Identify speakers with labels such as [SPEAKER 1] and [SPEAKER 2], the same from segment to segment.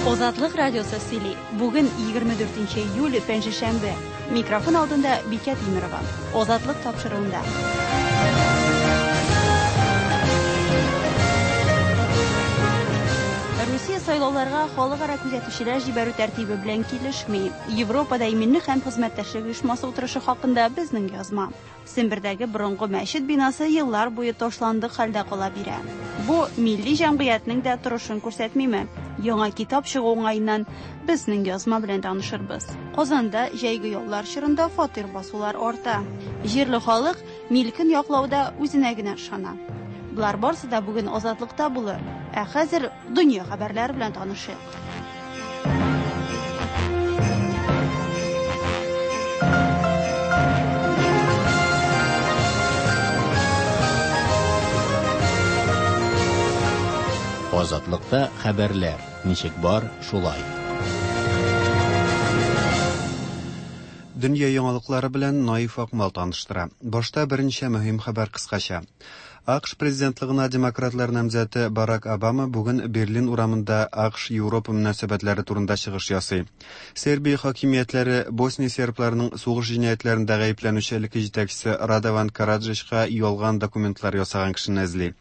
[SPEAKER 1] Азатлык радиосы сөйли. Бүген 24 июль, пәнҗешәмбе. Микрофон алдында Бикә Тимерова. Азатлык тапшыруында. Русия сайлауларга халыкара күзәтүчеләр җибәрү тәртибе белән килешми. Европада иминлек һәм хезмәттәшлек оешмасы утырышы хакында безнең язма. Сембердәге борынгы мәчет бинасы еллар буе ташландык хәлдә кала бирә. Бу милли җәмгыятьнең дә торышын күрсәтмиме? Яңа китап чыгу уңаеннан безнең язма белән танышырбыз. Казанда җәйге яллар чорында фатир басулар арта. Җирле халык милкен яклауда үзенә генә ышана. Болар барысы да бүген Азатлыкта булыр. Ә хәзер дөнья хәбәрләре белән танышыйк.
[SPEAKER 2] Азатлыкта хәбәрләр ничек бар, шулай.
[SPEAKER 3] Дөнья яңалыклары белән Наиф Акмал таныштыра. Башта берничә мөһим хәбәр кыскача. АКШ президентлыгына демократлар намзәте Барак Обама бүген Берлин урамында АКШ-Европа мөнәсәбәтләре турында чыгыш ясый. Сербия хакимиятләре Босния сербларының сугыш җинаятьләрендә гаепләнүче элекке җитәкчесе Радован Караджичка ялган документлар ясаган кешене эзли.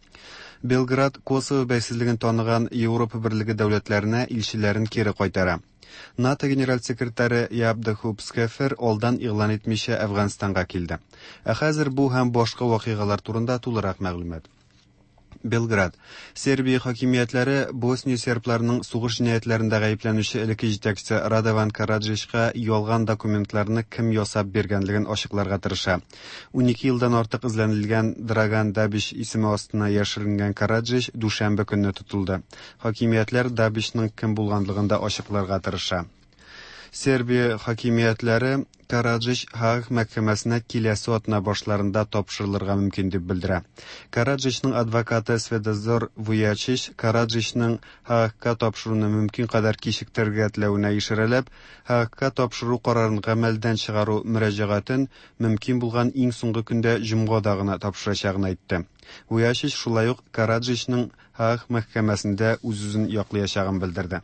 [SPEAKER 3] Белград Косово бәйсезлеген таныган Европа берлеге дәүләтләренә илчеләрен кире кайтара. НАТО генераль секретаре Яп де Хуп Скефер алдан игълан итмичә Әфганстанга килде. Ә хәзер бу һәм башка вакыйгалар турында тулырак мәгълүмат. Белград. Сербия хакимиятләре Босния сербларының сугыш җинаятьләрендә гаепләнүче элекке җитәкчесе Радован Караджичка ялган документларны кем ясап биргәнлеген ачыкларга тырыша. 12 елдан артык эзләнелгән Драган Дабич исеме астына яшеренгән Караджич дүшәмбе көнне тотылды. Хакимиятләр Дабичның кем булганлыгын да ачыкларга тырыша. Сербия хакимиятләре Караджич Һааг мәхкәмәсенә киләсе атна башларында тапшырылырга мөмкин дип белдерә. Караджичның адвокаты Светозор Вуячич Караджичның Һаагка тапшыруны мөмкин кадәр кичектерергә теләвенә ишарәләп, Һаагка тапшыру карарын гамәлдән чыгару мөрәҗәгатен мөмкин булган иң соңгы көндә җомгада гына тапшырачагын әйтте. Вуячич шулай ук Караджичның Һааг мәхкәмәсендә үз-үзен яклаячагын белдерде.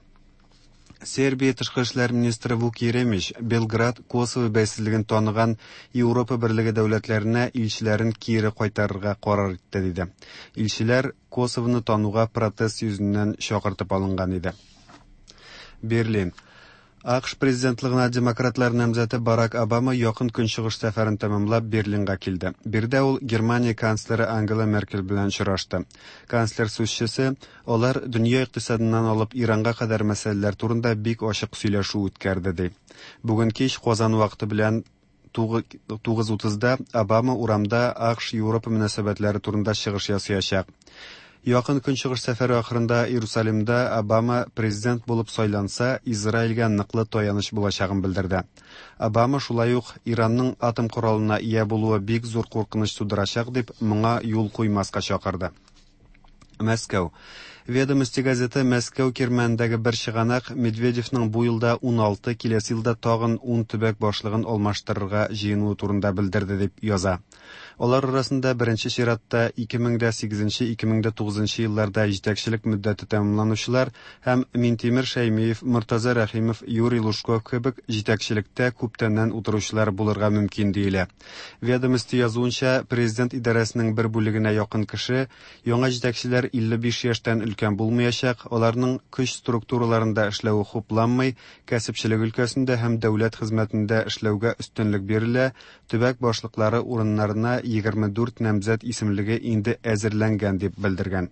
[SPEAKER 3] Сербия тышкы эшләр министры Вук Еремич Белград Косово бәйсезлеген таныган Европа берлеге дәүләтләренә илчеләрен кире кайтарырга карар итте диде. Илчеләр Косовоны тануга протест йөзеннән чакыртып алынган иде. Берлин. АКШ президентлыгына демократлар намзәте Барак Обама якын көнчыгыш сәфәрен тәмамлап Берлинга килде. Биредә ул Германия канцлеры Ангела Меркель белән очрашты. Канцлер сүзчесе, алар дөнья икътисадыннан алып Иранга кадәр мәсьәләләр турында бик ачык сөйләшү үткәрде, ди. Бүген кич Казан вакыты белән 9:30да Обама урамда АКШ-Европа мөнәсәбәтләре турында чыгыш ясаячак. Якын Көнчыгыш сәфәре ахырында Иерусалимда Обама президент булып сайланса, Израильгә ныклы таяныч булачагын белдерде. Обама шулай ук Иранның атом коралына ия булуы бик зур куркыныч тудырачак дип, моңа юл куймаска чакырды. Мәскәү. Ведомости газеты Мәскәү кирмәнендәге бер чыганак Медведевның бу елда 16, киләсе елда тагын 10 төбәк башлыгын алмаштырырга җыенуы турында белдерде дип яза. Алар арасында беренче чиратта 2008-2009 елларда җитәкчелек мөддәте тәмамланучылар һәм Минтимер Шәймиев, Мортаза Рәхимов, Юрий Лужков кебек җитәкчелектә күптәннән утыручылар булырга мөмкин диелә. Ведомости язуынча, президент идарәсенең бер бүлегенә якын кеше яңа җитәкчеләр 55 яшьтән өлкән булмаячак, аларның көч структураларында эшләве хупланмый, кәсепчелек өлкәсендә һәм дәүләт хезмәтендә эшләүгә өстенлек бирелә, төбәк башлыклары урыннарына 24 намзәт исемлеге инде әзерләнгән дип белдергән.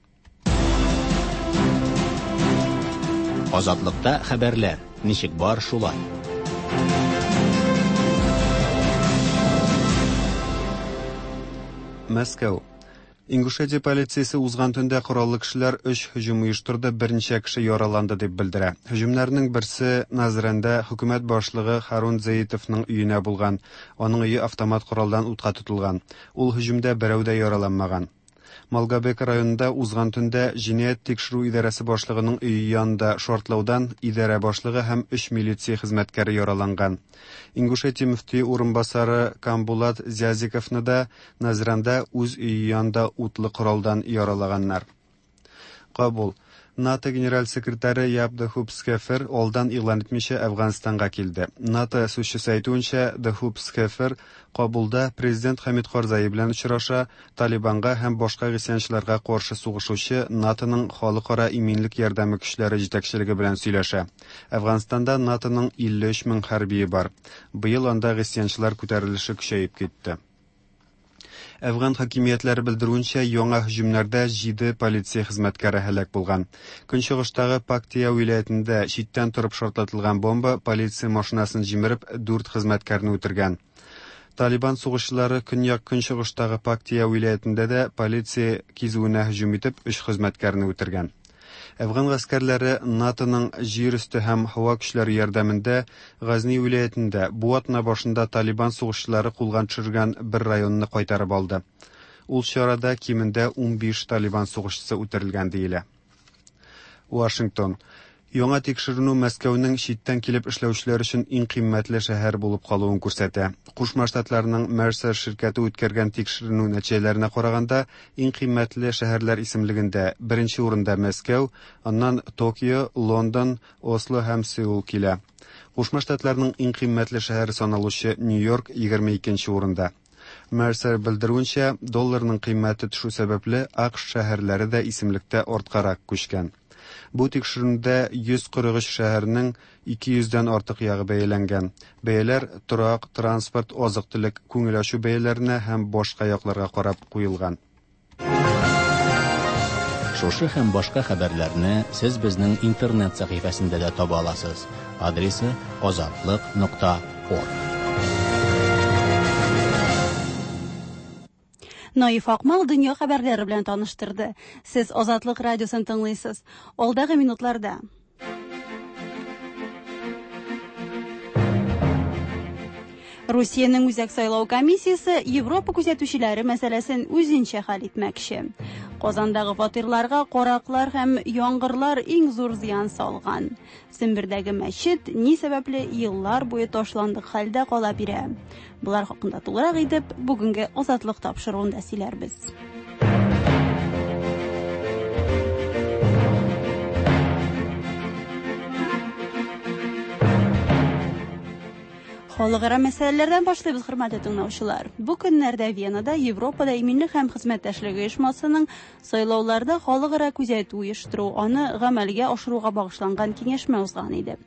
[SPEAKER 2] Азатлыкта хәбәрләр ничек бар, шулай.
[SPEAKER 3] Мәскәү. Ингушетия полициясе узган төндә кораллы кешеләр өч һөҗүм оештырды, берничә кеше яраланды дип белдерә. Һөҗүмнәрнең берсе Назрәндә хөкүмәт башлыгы Харун Зеитовның өенә булган. Аның өе автомат коралдан утка тотылган. Ул һөҗүмдә берәү дә яраланмаган. Малгобек районында узган төндә җинаять тикшерү идарәсе башлыгының өе янында шартлаудан идарә башлыгы һәм өч милиция хезмәткәре яраланган. Ингушетия мөфтие урынбасары Камбулат Зязиковны да Назранда үз өе янында утлы коралдан яралаганнар. Кабул. НАТО генераль секретаре Яп де Хуп Схефер алдан игълан итмичә Әфганстанга килде. НАТО сүзчесе әйтүенчә, де Хуп Схефер Кабулда президент Хәмид Карзаи белән очраша, Талибанга һәм башка гыйсьянчыларга каршы сугышучы НАТОның халыкара иминлек ярдәме көчләре җитәкчелеге белән сөйләшә. Әфганстанда НАТОның 53 мең хәрбие бар. Быел анда гыйсьянчылар күтәрелеше көчәеп китте. Әфган хакимиятләре белдерүенчә, яңа һөҗүмнәрдә җиде полиция хезмәткәре һәлак булган. Көнчыгыштагы Пактия вилаятендә читтән торып шартлатылган бомба полиция машинасын җимереп, дүрт хезмәткәрне үтергән. Талибан сугышчылары көньяк-көнчыгыштагы Пактия вилаятендә дә полиция кизүенә һөҗүм итеп, өч хезмәткәрне үтергән. Әфган гаскәрләре НАТОның җир өсте һәм һава көчләре ярдәмендә Газни вилаятендә бу атна башында Талибан сугышчылары кулга төшергән бер районны кайтарып алды. Ул чарада кимендә 15 Талибан сугышчысы үтерелгән диелә. Вашингтон. Яңа тикшеренү Мәскәүнең читтән килеп эшләүчеләр өчен иң кыйммәтле шәһәр булып калуын күрсәтә. Кушма Штатларның Mercer ширкәте үткәргән тикшеренү нәтиҗәләренә караганда, иң кыйммәтле шәһәрләр исемлегендә беренче урында Мәскәү, аннан Токио, Лондон, Осло һәм Сеул килә. Кушма Штатларның иң кыйммәтле шәһәре саналучы Нью-Йорк 22 урында. Mercer белдерүенчә, долларның кыйммәте төшү сәбәпле, АКШ шәһәрләре дә исемлектә арткарак күчкән. Бу тикшеренүдә 143 шәһәрнең 200 дән артык ягы бәяләнгән. Бәяләр торак, транспорт, азык-төлек, күңел ачу бәяләренә һәм башка якларга карап куелган.
[SPEAKER 2] Шушы һәм башка хәбәрләрне сез безнең интернет сәхифәсендә дә таба аласыз. Адресы azatliq.org.
[SPEAKER 1] Наиф Акмал дөнья хәбәрләре белән таныштырды. Сез Азатлык радиосын тыңлыйсыз. Алдагы минутларда Русиянең Үзәк сайлау комиссиясе Европа күзәтүчеләре мәсьәләсен үзенчә хәл итмәкче. Казандагы фатирларга караклар һәм яңгырлар иң зур зыян салган. Сембердәге мәчет ни сәбәпле еллар буе ташландык хәлдә кала бирә? Болар хакында тулырак итеп бүгенге Азатлык тапшыруында сөйләрбез. Халыкара мәсьәләләрдән башлыйбыз, хөрмәтле тыңлаучылар. Бу көннәрдә Венада Европада иминлек һәм хезмәттәшлек оешмасының сайлауларда халыкара күзәтү оештыру, аны гамәлгә ашыруга багышланган киңәшмә узган иде.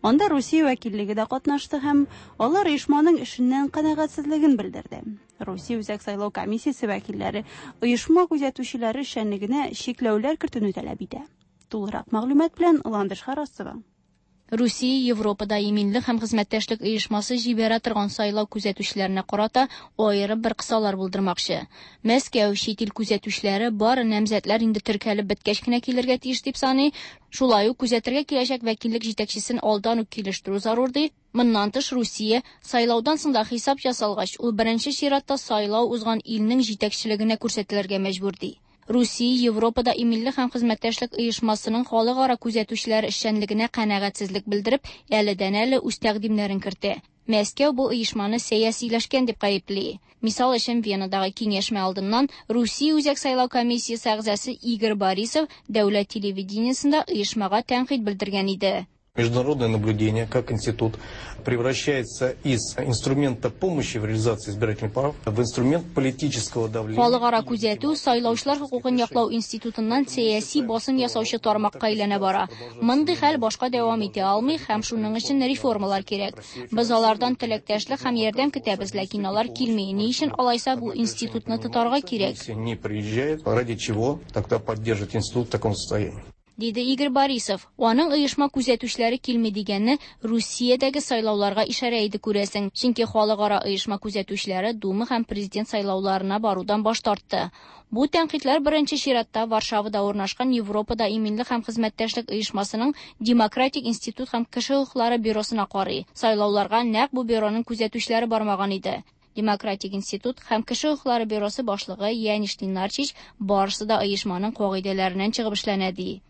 [SPEAKER 1] Анда Русия вәкиллеге дә катнашты һәм алар оешманың эшеннән канәгатьсезлеген белдерде. Русия Үзәк сайлау комиссиясе вәкилләре оешма күзәтүчеләре эшчәнлегенә чикләүләр кертүне таләп итә. Тулырак мәгълүмат белән Ландыш Харасова.
[SPEAKER 4] Русия Европада иминлек һәм хезмәттәшлек оешмасы җибәрә торган сайлау күзәтүчеләренә карата аерым бер кысалар булдырмакчы. Мәскәү чит ил күзәтүчеләре бары намзәтләр инде теркәлеп беткәч кенә килергә тиеш дип саный. Шулай ук күзәтергә киләчәк вәкиллек җитәкчесен алдан ук килештерү зарур ди. Моннан тыш Русия сайлаудан соң да хисап ясалгач, ул беренче чиратта сайлау узган илнең җитәкчелегенә күрсәтелергә мәҗбүр ди. Русия Европада иминлек һәм хезмәттәшлек оешмасының халыкара күзәтүчеләр эшчәнлегенә канәгатьсезлек белдереп, әледән-әле үз тәкъдимнәрен кертә. Мәскәү бу оешманы сәясиләшкән дип гаепли. Мисал өчен Венадагы киңәшмә алдыннан Русия Үзәк сайлау комиссиясе әгъзасы Игорь Борисов дәүләт телевидениесендә оешмага тәнкыйть белдергән иде.
[SPEAKER 5] Международное наблюдение, как институт, превращается из инструмента помощи в реализации избирательных прав в инструмент политического давления.
[SPEAKER 4] Халыкара күзәтү сайлаучылар хокукын яклау институтыннан сәяси басым ясаучы тармакка әйләнә бара. Мондый хәл башка дәвам итә алмый һәм шуның өчен реформалар кирәк. Без алардан теләктәшлек һәм ярдәм көтәбез, ләкин алар килми. Ни өчен алайса бу институтны тотарга кирәк?
[SPEAKER 5] Не приезжает, ради чего тогда поддерживать институт в таком состоянии?
[SPEAKER 4] Диде Игорь Борисов. Аның оешма күзәтүчеләре килми дигәнне Русиядәге сайлауларга ишарә иде күрәсең. Чөнки халыкара оешма күзәтүчеләре Дума һәм президент сайлауларына барудан баш тартты. Бу тәнкыйтьләр беренче чиратта Варшавада урнашкан Европада иминлек һәм хезмәттәшлек оешмасының Демократик институт һәм кеше хокуклары бюросына карый. Сайлауларга нәкъ бу бюроның күзәтүчеләре бармаган иде. Демократик институт һәм кеше хокуклары бюросы башлыгы Яниш Ленарчич барысы да оешманың кагыйдәләреннән чыгып эшләнә ди.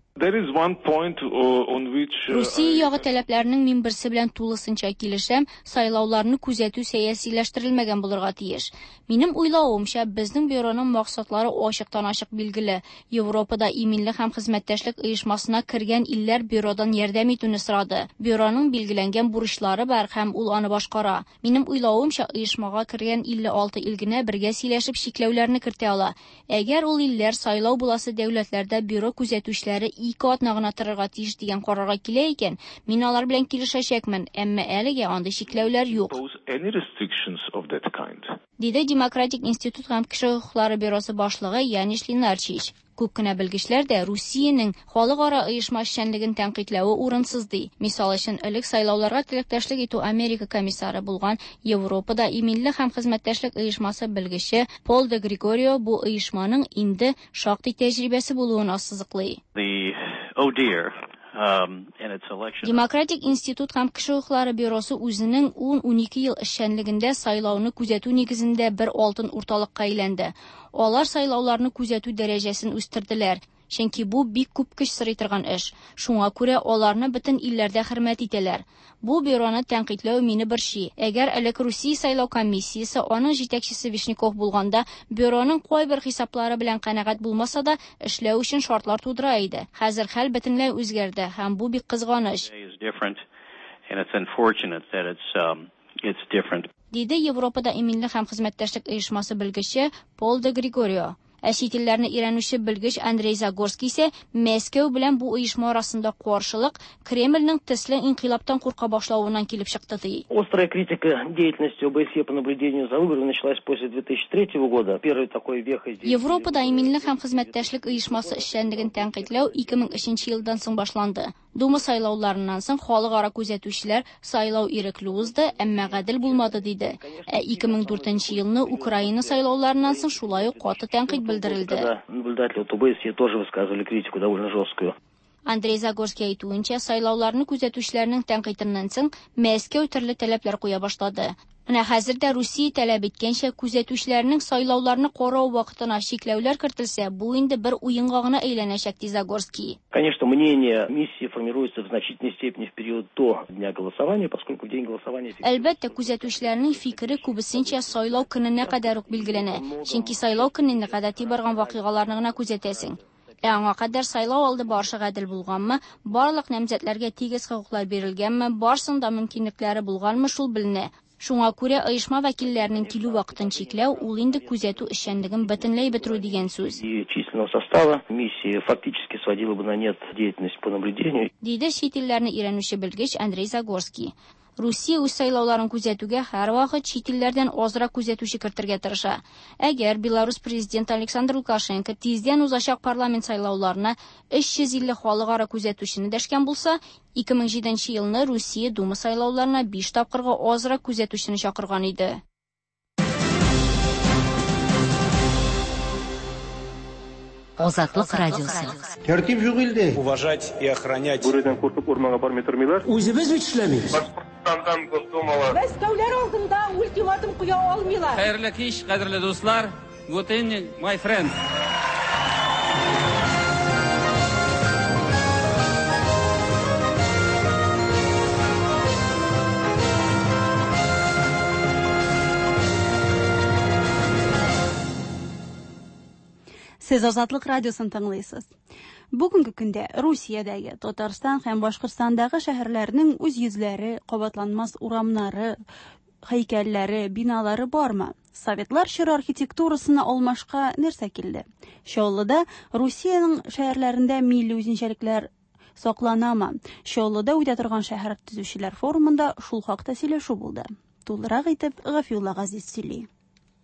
[SPEAKER 4] Русия ягы таләпләренең мин берсе белән тулысынча килешәм, сайлауларны күзәтү сәясиләштерелмәгән булырга тиеш. Минем уйлавымча, безнең бюроның максатлары ачыктан-ачык билгеле. Европада иминлек һәм хезмәттәшлек оешмасына кергән илләр бюродан ярдәм итүне сорады. Бюроның билгеләнгән бурычлары бар һәм ул аны башкара. Минем уйлавымча, оешмага кергән 56 ил генә бергә сөйләшеп чикләүләрне кертә ала. Әгәр ул илләр сайлау буласы дәүләтләрдә бюро күзәтүчеләре 2 атна гына торырга тиеш дигән карарга килә икән, мин алар белән килешәчәкмен, әмма әлегә андый чикләүләр юк. Диде Демократик институт һәм кеше хокуклары бюросы башлыгы Яниш Ленарчич. Күп кенә белгечләр дә Русиянең халыкара оешма эшчәнлеген тәнкыйтьләве урынсыз ди. Мисал өчен, элек сайлауларга теләктәшлек итү Америка комиссары булган Европада иминлек һәм хезмәттәшлек оешмасы белгече Пол де Григорио бу оешманың инде шактый тәҗрибәсе булуын ассызыклый. Демократик институт һәм кеше хокуклары бюросы үзенең 10-12 ел эшчәнлегендә сайлауны күзәтү нигезендә бер алтын урталыкка әйләнде. Алар сайлауларны күзәтү дәрәҗәсен үстерделәр, чөнки бу бик күп көч сорый торган эш. Шуңа күрә аларны бөтен илләрдә хөрмәт итәләр. Бу бюроны тәнкыйтьләү мине борчый. Әгәр элек Русия сайлау комиссиясе, аның җитәкчесе Вишняков булганда, бюроның кайбер хисаплары белән канәгать булмаса да, эшләү өчен шартлар тудыра иде. Хәзер хәл бөтенләй үзгәрде һәм бу бик кызганыч. Диде Европада иминлек һәм хезмәттәшлек оешмасы белгече Пол де Григорио. Ә чит илләрне өйрәнүче белгеч Андрей Загорский исә Мәскәү белән бу оешма арасында каршылык Кремльнең төсле инкыйлабтан курка башлавыннан килеп чыкты ди.
[SPEAKER 6] Острая критика деятельности ОБСЕ по наблюдению за выборами началась после 2003 года. Первый такой веха здесь.
[SPEAKER 4] Европада иминлек һәм хезмәттәшлек оешмасы эшчәнлеген тәнкыйтьләү 2003 елдан соң башланды. Дума сайлауларыннан соң халыкара күзәтүчеләр сайлау ирекле узды, әмма гадел булмады диде. Ә 2004 елны Украина сайлауларыннан соң шулай ук каты тәнкыйть белдерелде.
[SPEAKER 6] Наблюдатели от ОБСЕ тоже высказывали критику довольно жесткую.
[SPEAKER 4] Андрей Загорский әйтүенчә, сайлауларны күзәтүчеләрнең тәнкыйтеннән соң Мәскәү төрле таләпләр куя башлады. Менә хәзер дә Русия таләп иткәнчә күзәтүчеләрнең сайлауларны карау вакытына чикләүләр кертелсә, бу инде бер уенга гына әйләнәчәк, ди Загорский.
[SPEAKER 6] Конечно, мнение миссии формируется в значительной степени в период до дня голосования, поскольку в день голосования...
[SPEAKER 4] Әлбәттә, күзәтүчеләрнең фикере күбесенчә сайлау көненә кадәр үк билгеләнә, чөнки сайлау көненә гадәти барган вакыйгаларны гына күзәтәсең. Ә аңа кадәр сайлау алды барышы гадел булганмы, барлык намзәтләргә тигез хокуклар бирелгәнме, барсының да мөмкинлекләре булганмы, шул беленә. Шуңа күрә оешма вәкилләренең килү вакытын чикләү, ул инде күзәтү эшчәнлеген бөтенләй бетерү дигән сүз.
[SPEAKER 6] И численного состава миссии фактически сводила бы на нет деятельность по наблюдению.
[SPEAKER 4] Диде чит илләрне өйрәнүче белгеч Андрей Загорский. Русия үз сайлауларын күзәтүгә һәрвакыт чит илләрдән азрак күзәтүче кертергә тырыша. Әгәр Беларусь президенты Александр Лукашенко тиздән узачак парламент сайлауларына 350 халыкара күзәтүчене дәшкән булса, 2007 елны Русия Дума сайлауларына 5 тапкырга азрак күзәтүчене чакырган иде.
[SPEAKER 7] Азатлык радиосы.
[SPEAKER 8] Тәртип юк илдә.
[SPEAKER 9] Уважать и охранять.
[SPEAKER 6] Бүредән куркып урманга бармый тормыйлар.
[SPEAKER 8] Үзебез бит эшләмибез.
[SPEAKER 10] Башкортстандан Госдумалар.
[SPEAKER 11] Мәскәүләр алдында ультиматум куя алмыйлар.
[SPEAKER 12] Хәерле кич, кадерле дуслар. Good evening, my friend.
[SPEAKER 1] Сез Азатлык радиосын тыңлыйсыз. Бүгенге көндә Русиядәге, Татарстан һәм Башкортстандагы шәһәрләрнең үз йөзләре, кабатланмас урамнары, һәйкәлләре, биналары бармы? Советлар чоры архитектурасына алмашка нәрсә килде? Чаллыда Русиянең шәһәрләрендә милли үзенчәлекләр сакланамы? Чаллыда үтә торган шәһәр төзүчеләр форумында шул хакта сөйләшү булды. Тулырак итеп Гафиулла Газиз сөйли.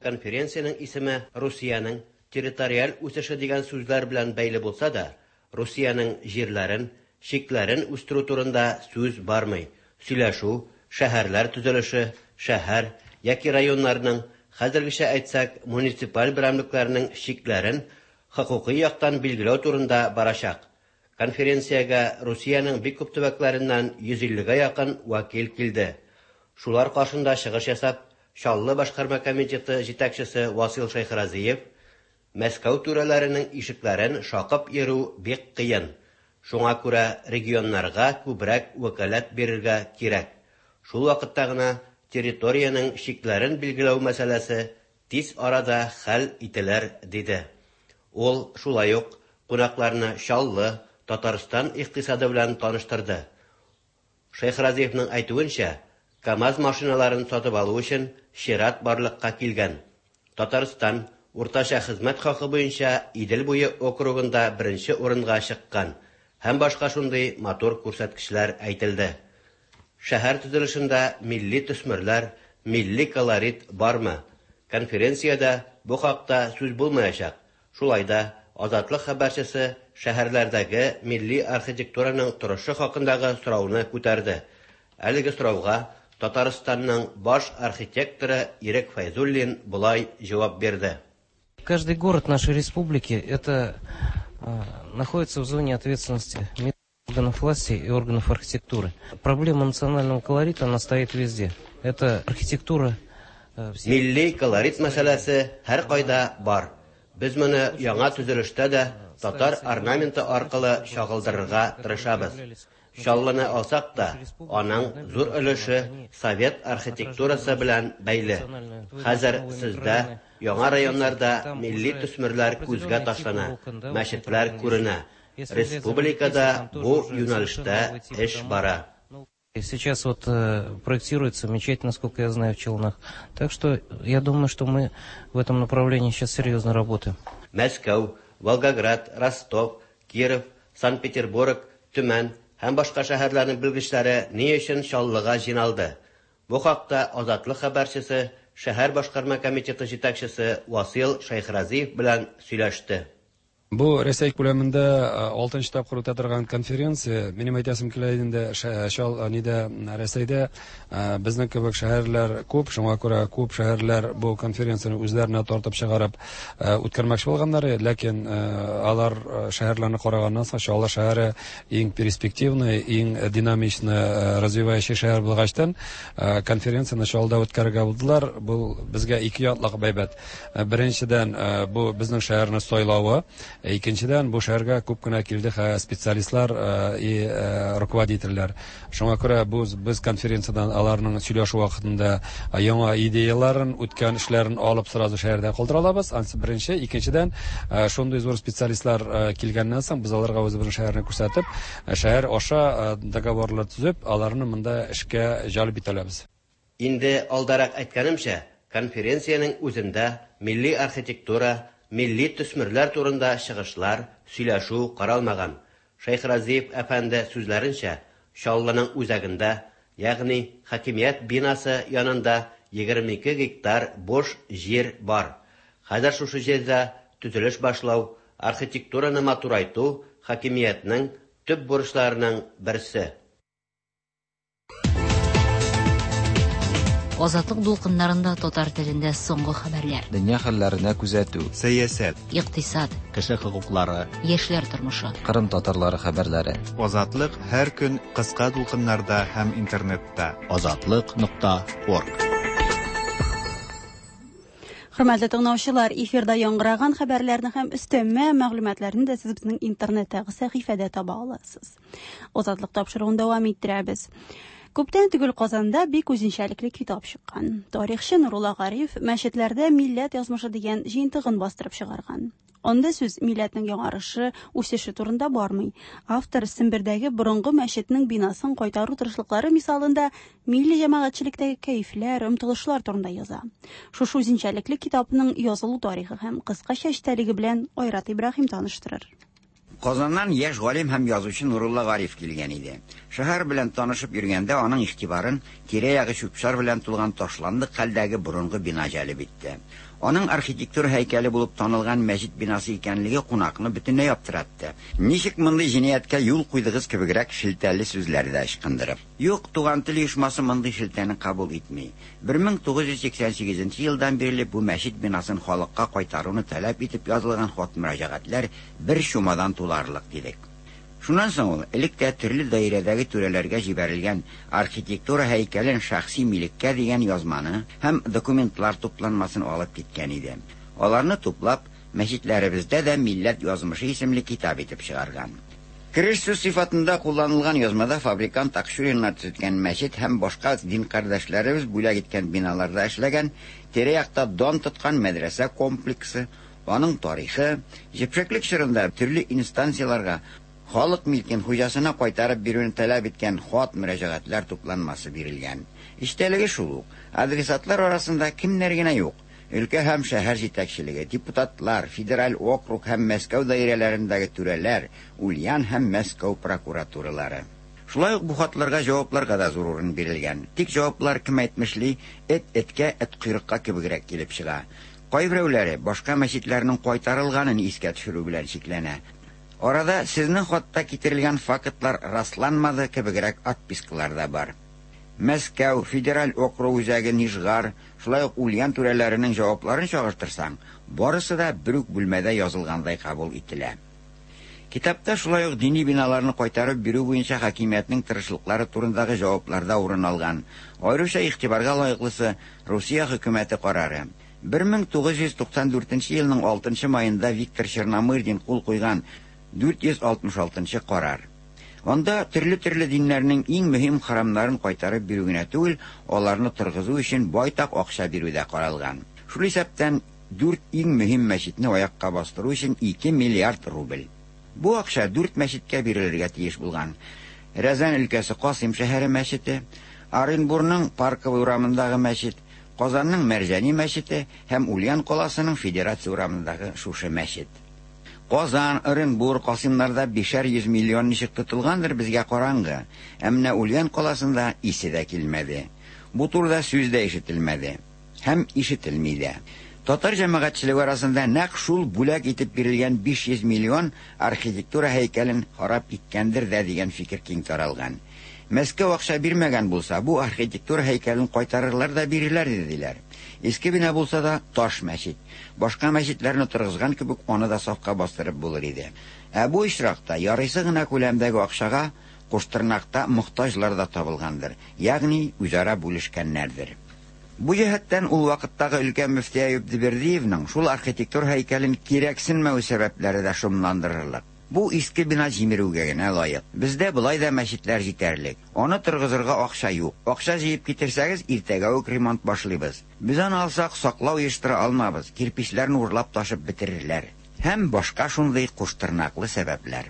[SPEAKER 13] Конференциянең исеме Русиянең территориаль үсеше дигән сүзләр белән бәйле булса да, Русиянең җирләрен, чикләрен үстерү турында сүз бармый. Сөйләшү, шәһәрләр төзелеше, шәһәр яки районнарның, хәзергечә әйтсәк, муниципаль берәмлекләрнең чикләрен хокукый яктан билгеләү турында барачак. Конференциягә Русиянең бик күп төбәкләреннән 150-гә якын вәкил килде. Шулар каршында чыгыш ясап, Чаллы башкарма комитеты җитәкчесе Васил Шәйхразиев Мәскәү түрәләренең ишекләрен шакып йөрү бик кыен. Шуңа күрә регионнарга күбрәк вәкаләт бирергә кирәк. Шул вакытта гына территориянең чикләрен билгеләү мәсьәләсе тиз арада хәл ителер, диде. Ул шулай ук кунакларны Чаллы, Татарстан икътисады белән таныштырды. Шәйхразиевның әйтүенчә, КАМАЗ машиналарын сатып алу өчен чират барлыкка килгән. Татарстан уртача хезмәт хакы буенча Идел буе округында беренче урынга чыккан һәм башка шундый матур күрсәткечләр әйтелде. Шәһәр төзелешендә милли төсмерләр, милли колорит бармы? Конференциядә бу хакта сүз булмаячак. Шулай да Азатлык хәбәрчесе шәһәрләрдәге милли архитектураның торышы хакындагы сорауны күтәрде. Әлеге сорауга Татарстанның баш архитекторы Ирек Фәйзуллин болай җавап бирде.
[SPEAKER 9] Каждый город нашей республики это находится в зоне ответственности органов власти и органов архитектуры. Проблема национального колорита, она стоит везде. Это архитектура.
[SPEAKER 13] Милли колорит мәсьәләсе һәркайда бар. Без моны яңа төзелештә дә татар орнаменты аркылы чагылдырырга тырышабыз. Чаллыны алсак та, аның зур өлеше совет архитектурасы белән бәйле. Хәзер сездә яңа районнарда милли төсмерләр күзгә ташлана, мәчетләр күренә. Республикада бу юнәлештә эш бара.
[SPEAKER 9] Сейчас вот проектируется мечеть, насколько я знаю, в Челнах. Так что я думаю, что мы в этом направлении сейчас серьезно работаем.
[SPEAKER 13] Мәскәү, Волгоград, Ростов, Киров, Санкт-Петербург, Төмән һәм башка шәһәрләрнең белгечләре ни өчен Чаллыга җыйналды? Бу хакта Азатлык хәбәрчесе шәһәр башкарма комитеты җитәкчесе Васил Шәйхразиев белән сөйләште.
[SPEAKER 14] Бу Рәсәй күләмендә 6 тапкыр үтә торган конференция. Минем әйтәсем килә инде, чал нидә Рәсәйдә безнең кебек шәһәрләр күп, шуңа күрә күп шәһәрләр бу конференцияне үзләренә тартып чыгарып үткәрмәкче булганнар, ләкин алар шәһәрләрне караганнан соң Чаллы шәһәре иң перспективный, иң динамично развивающий шәһәр булгачтан конференцияне Чаллыда үткәрергә булдылар. Бу безгә ике яклык әйбәт. Беренчедән, бу безнең шәһәрне сайлавы. Икенчедән, бу шәһәргә күп кенә килде специалистлар и руководительләр. Шуңа күрә бу без конференциядән аларның сөйләшү вакытында яңа идеяларын, үткән эшләрен алып сразу шәһәрдә калдыра алабыз. Ансы беренче. Икенчедән, шундый зур специалистлар килгәннән соң без аларга үзебезнең шәһәрне күрсәтеп, шәһәр аша договорлар төзеп, аларны монда эшкә җәлеп итә алабыз.
[SPEAKER 13] Инде алдарак әйткәнемчә, конференциянең үзендә милли архитектура, милли төсмерләр турында чыгышлар, сөйләшү каралмаган. Шәйхразиев әфәнде сүзләренчә, Чаллының үзәгендә, ягъни хакимият бинасы янында 22 гектар буш җир бар. Хәзер шушы җирдә төзелеш башлау, архитектураны матурайту хакимиятнең төп бурычларының берсе.
[SPEAKER 7] Азатлык дулкыннарында татар телендә соңгы хәбәрләр.
[SPEAKER 15] Дөнья хәлләренә күзәтү.
[SPEAKER 3] Сәясәт.
[SPEAKER 7] Икътисад.
[SPEAKER 2] Кеше хокуклары.
[SPEAKER 7] Яшьләр тормышы.
[SPEAKER 15] Кырым татарлары хәбәрләре.
[SPEAKER 3] Азатлык һәр көн кыска дулкыннарда һәм интернетта.
[SPEAKER 2] Азатлык.орг.
[SPEAKER 1] Хөрмәтле тыңлаучылар, эфирда яңгыраган хәбәрләрне һәм өстәмә мәгълүматларны да сез безнең интернеттагы сәхифәдә таба аласыз. Азатлык тапшыруын дәвам иттерәбез. Күптән түгел Казанда бик үзенчәлекле китап чыккан. Тарихчы Нурулла Гариф мәчетләрдә милләт язмышы дигән җыентыгын бастырып чыгарган. Анда сүз милләтнең яңарышы, үсеше турында бармый. Автор Сембердәге борынгы мәчетнең бинасын кайтару тырышлыклары мисалында милли җәмәгатьчелектәге кәефләр, омтылышлар турында яза. Шушы үзенчәлекле китапның язылу тарихы һәм кыскача эчтәлеге белән Айрат Ибраһим таныштырыр.
[SPEAKER 16] Казаннан яшь галим һәм язучы Нурулла Гариф килгән иде. Шәһәр белән танышып йөргәндә аның игътибарын тирә-ягы чүп-чар белән тулган ташландык хәлдәге борынгы бина җәлеп итте. Аның архитектура һәйкәле булып танылган мәчет бинасы икәнлеге кунакны бөтенләй аптыратты. Ничек мондый җинаятькә юл куйдыгыз кебегрәк шелтәле сүзләр дә ычкындырып. Юк, Туган тел оешмасы мондый шелтәне кабул итми. 1988 елдан бирле бу мәчет бинасын халыкка кайтаруны таләп итеп язылган хат мөрәҗәгатьләр бер чумадан туларлык дидек. Шуннан соң ул элек тә төрле даирәдәге түрәләргә җибәрелгән архитектура һәйкәлен шәхси милеккә дигән язманы һәм документлар тупланмасын алып киткән иде. Аларны туплап, мәчетләребездә дә милләт язмышы исемле китап итеп чыгарган. Кереш сүз сыйфатында кулланылган язмада фабрикант Акчуриннар төзеткән мәчет һәм башка дин кардәшләребез бүләк иткән биналарда эшләгән, тирә-якта дан тоткан мәдрәсә комплексы, аның тарихы, җепшеклек чорында төрле инстанцияләргә халык милкен хуҗасына кайтарып бирүне таләп иткән хат-мөрәҗәгатьләр тупланмасы бирелгән. Эчтәлеге шул ук. Адресатлар арасында кемнәр генә юк. Өлкә һәм шәһәр җитәкчелеге, депутатлар, федераль округ һәм Мәскәү даирәләрендәге түрәләр, Ульян һәм Мәскәү прокуратуралары. Шулай ук бу хатларга җавапларга да зур урын бирелгән. Тик җаваплар, кем әйтмешли, эт эткә, эт койрыкка кебегрәк килеп чыга. Кайберәүләре башка мәчетләрнең кайтарылганын искә төшерү белән чикләнә. Арада сезнең хатта китерелгән фактлар расланмады кебегрәк отпискалар да бар. Мәскәү, федераль округ үзәге Нижгар, шулай ук Ульян түрәләренең җавапларын чагыштырсаң, барысы да бер үк бүлмәдә язылгандай кабул ителә. Китапта шулай ук дини биналарны кайтарып бирү буенча хакимиятнең тырышлыклары турындагы җаваплар да урын алган. Аеруча игътибарга лаеклысы Русия хөкүмәте карары. 1994 елның 6 маенда Виктор Черномырдин кул куйган 466 нчы карар. Анда төрле-төрле диннәрнең иң мөһим храмнарын кайтарып бирү генә түгел, аларны торгызу өчен байтак акча бирү дә каралган. Шул исәптән дүрт иң мөһим мәчетне аякка бастыру өчен 2 миллиард рубль. Бу акча дүрт мәчеткә бирелергә тиеш булган. Рязань өлкәсе Касыйм шәһәре мәчете, Оренбурның Парковый урамындагы мәчет, Казанның Мәрҗани мәчете һәм Ульян каласының Федерация урамындагы шушы мәчет. Казан, Оренбур, Касыймнарда бишәр йөз миллион ничек тотылгандыр, безгә караңгы. Ә менә Ульян каласында исе дә килмәде. Бу турыда сүз дә ишетелмәде. Һәм ишетелми дә. Татар җәмәгатьчелеге арасында нәкъ шул бүләк итеп бирелгән 500 миллион архитектура һәйкәлен харап иткәндер дә дигән фикер киң таралган. Мәскәү акча бирмәгән булса, бу архитектура һәйкәлен кайтарырлар да бирерләр иде, диләр. Иске бина булса да, таш мәчет. Башка мәчетләрне торгызган кебек, аны да сафка бастырып булыр иде. Ә бу очракта ярыйсы гына күләмдәге акчага куштырнакта мохтаҗлар да табылгандыр, ягъни үзара бүлешкәннәрдер. Бу җәһәттән ул вакыттагы өлкә мөфти Әюп Дибердиевның шул архитектура һәйкәлен кирәксенмәү сәбәпләре дә шомландырырлык. Бу иске бина җимерүгә генә лаек. Бездә болай да мәчетләр җитәрлек. Аны торгызырга акча юк. Акча җыеп китерсәгез, иртәгә үк ремонт башлыйбыз. Без аны алсак, саклау оештыра алмабыз, кирпичләрне урлап ташып бетерерләр. Һәм башка шундый куштырнаклы сәбәпләр.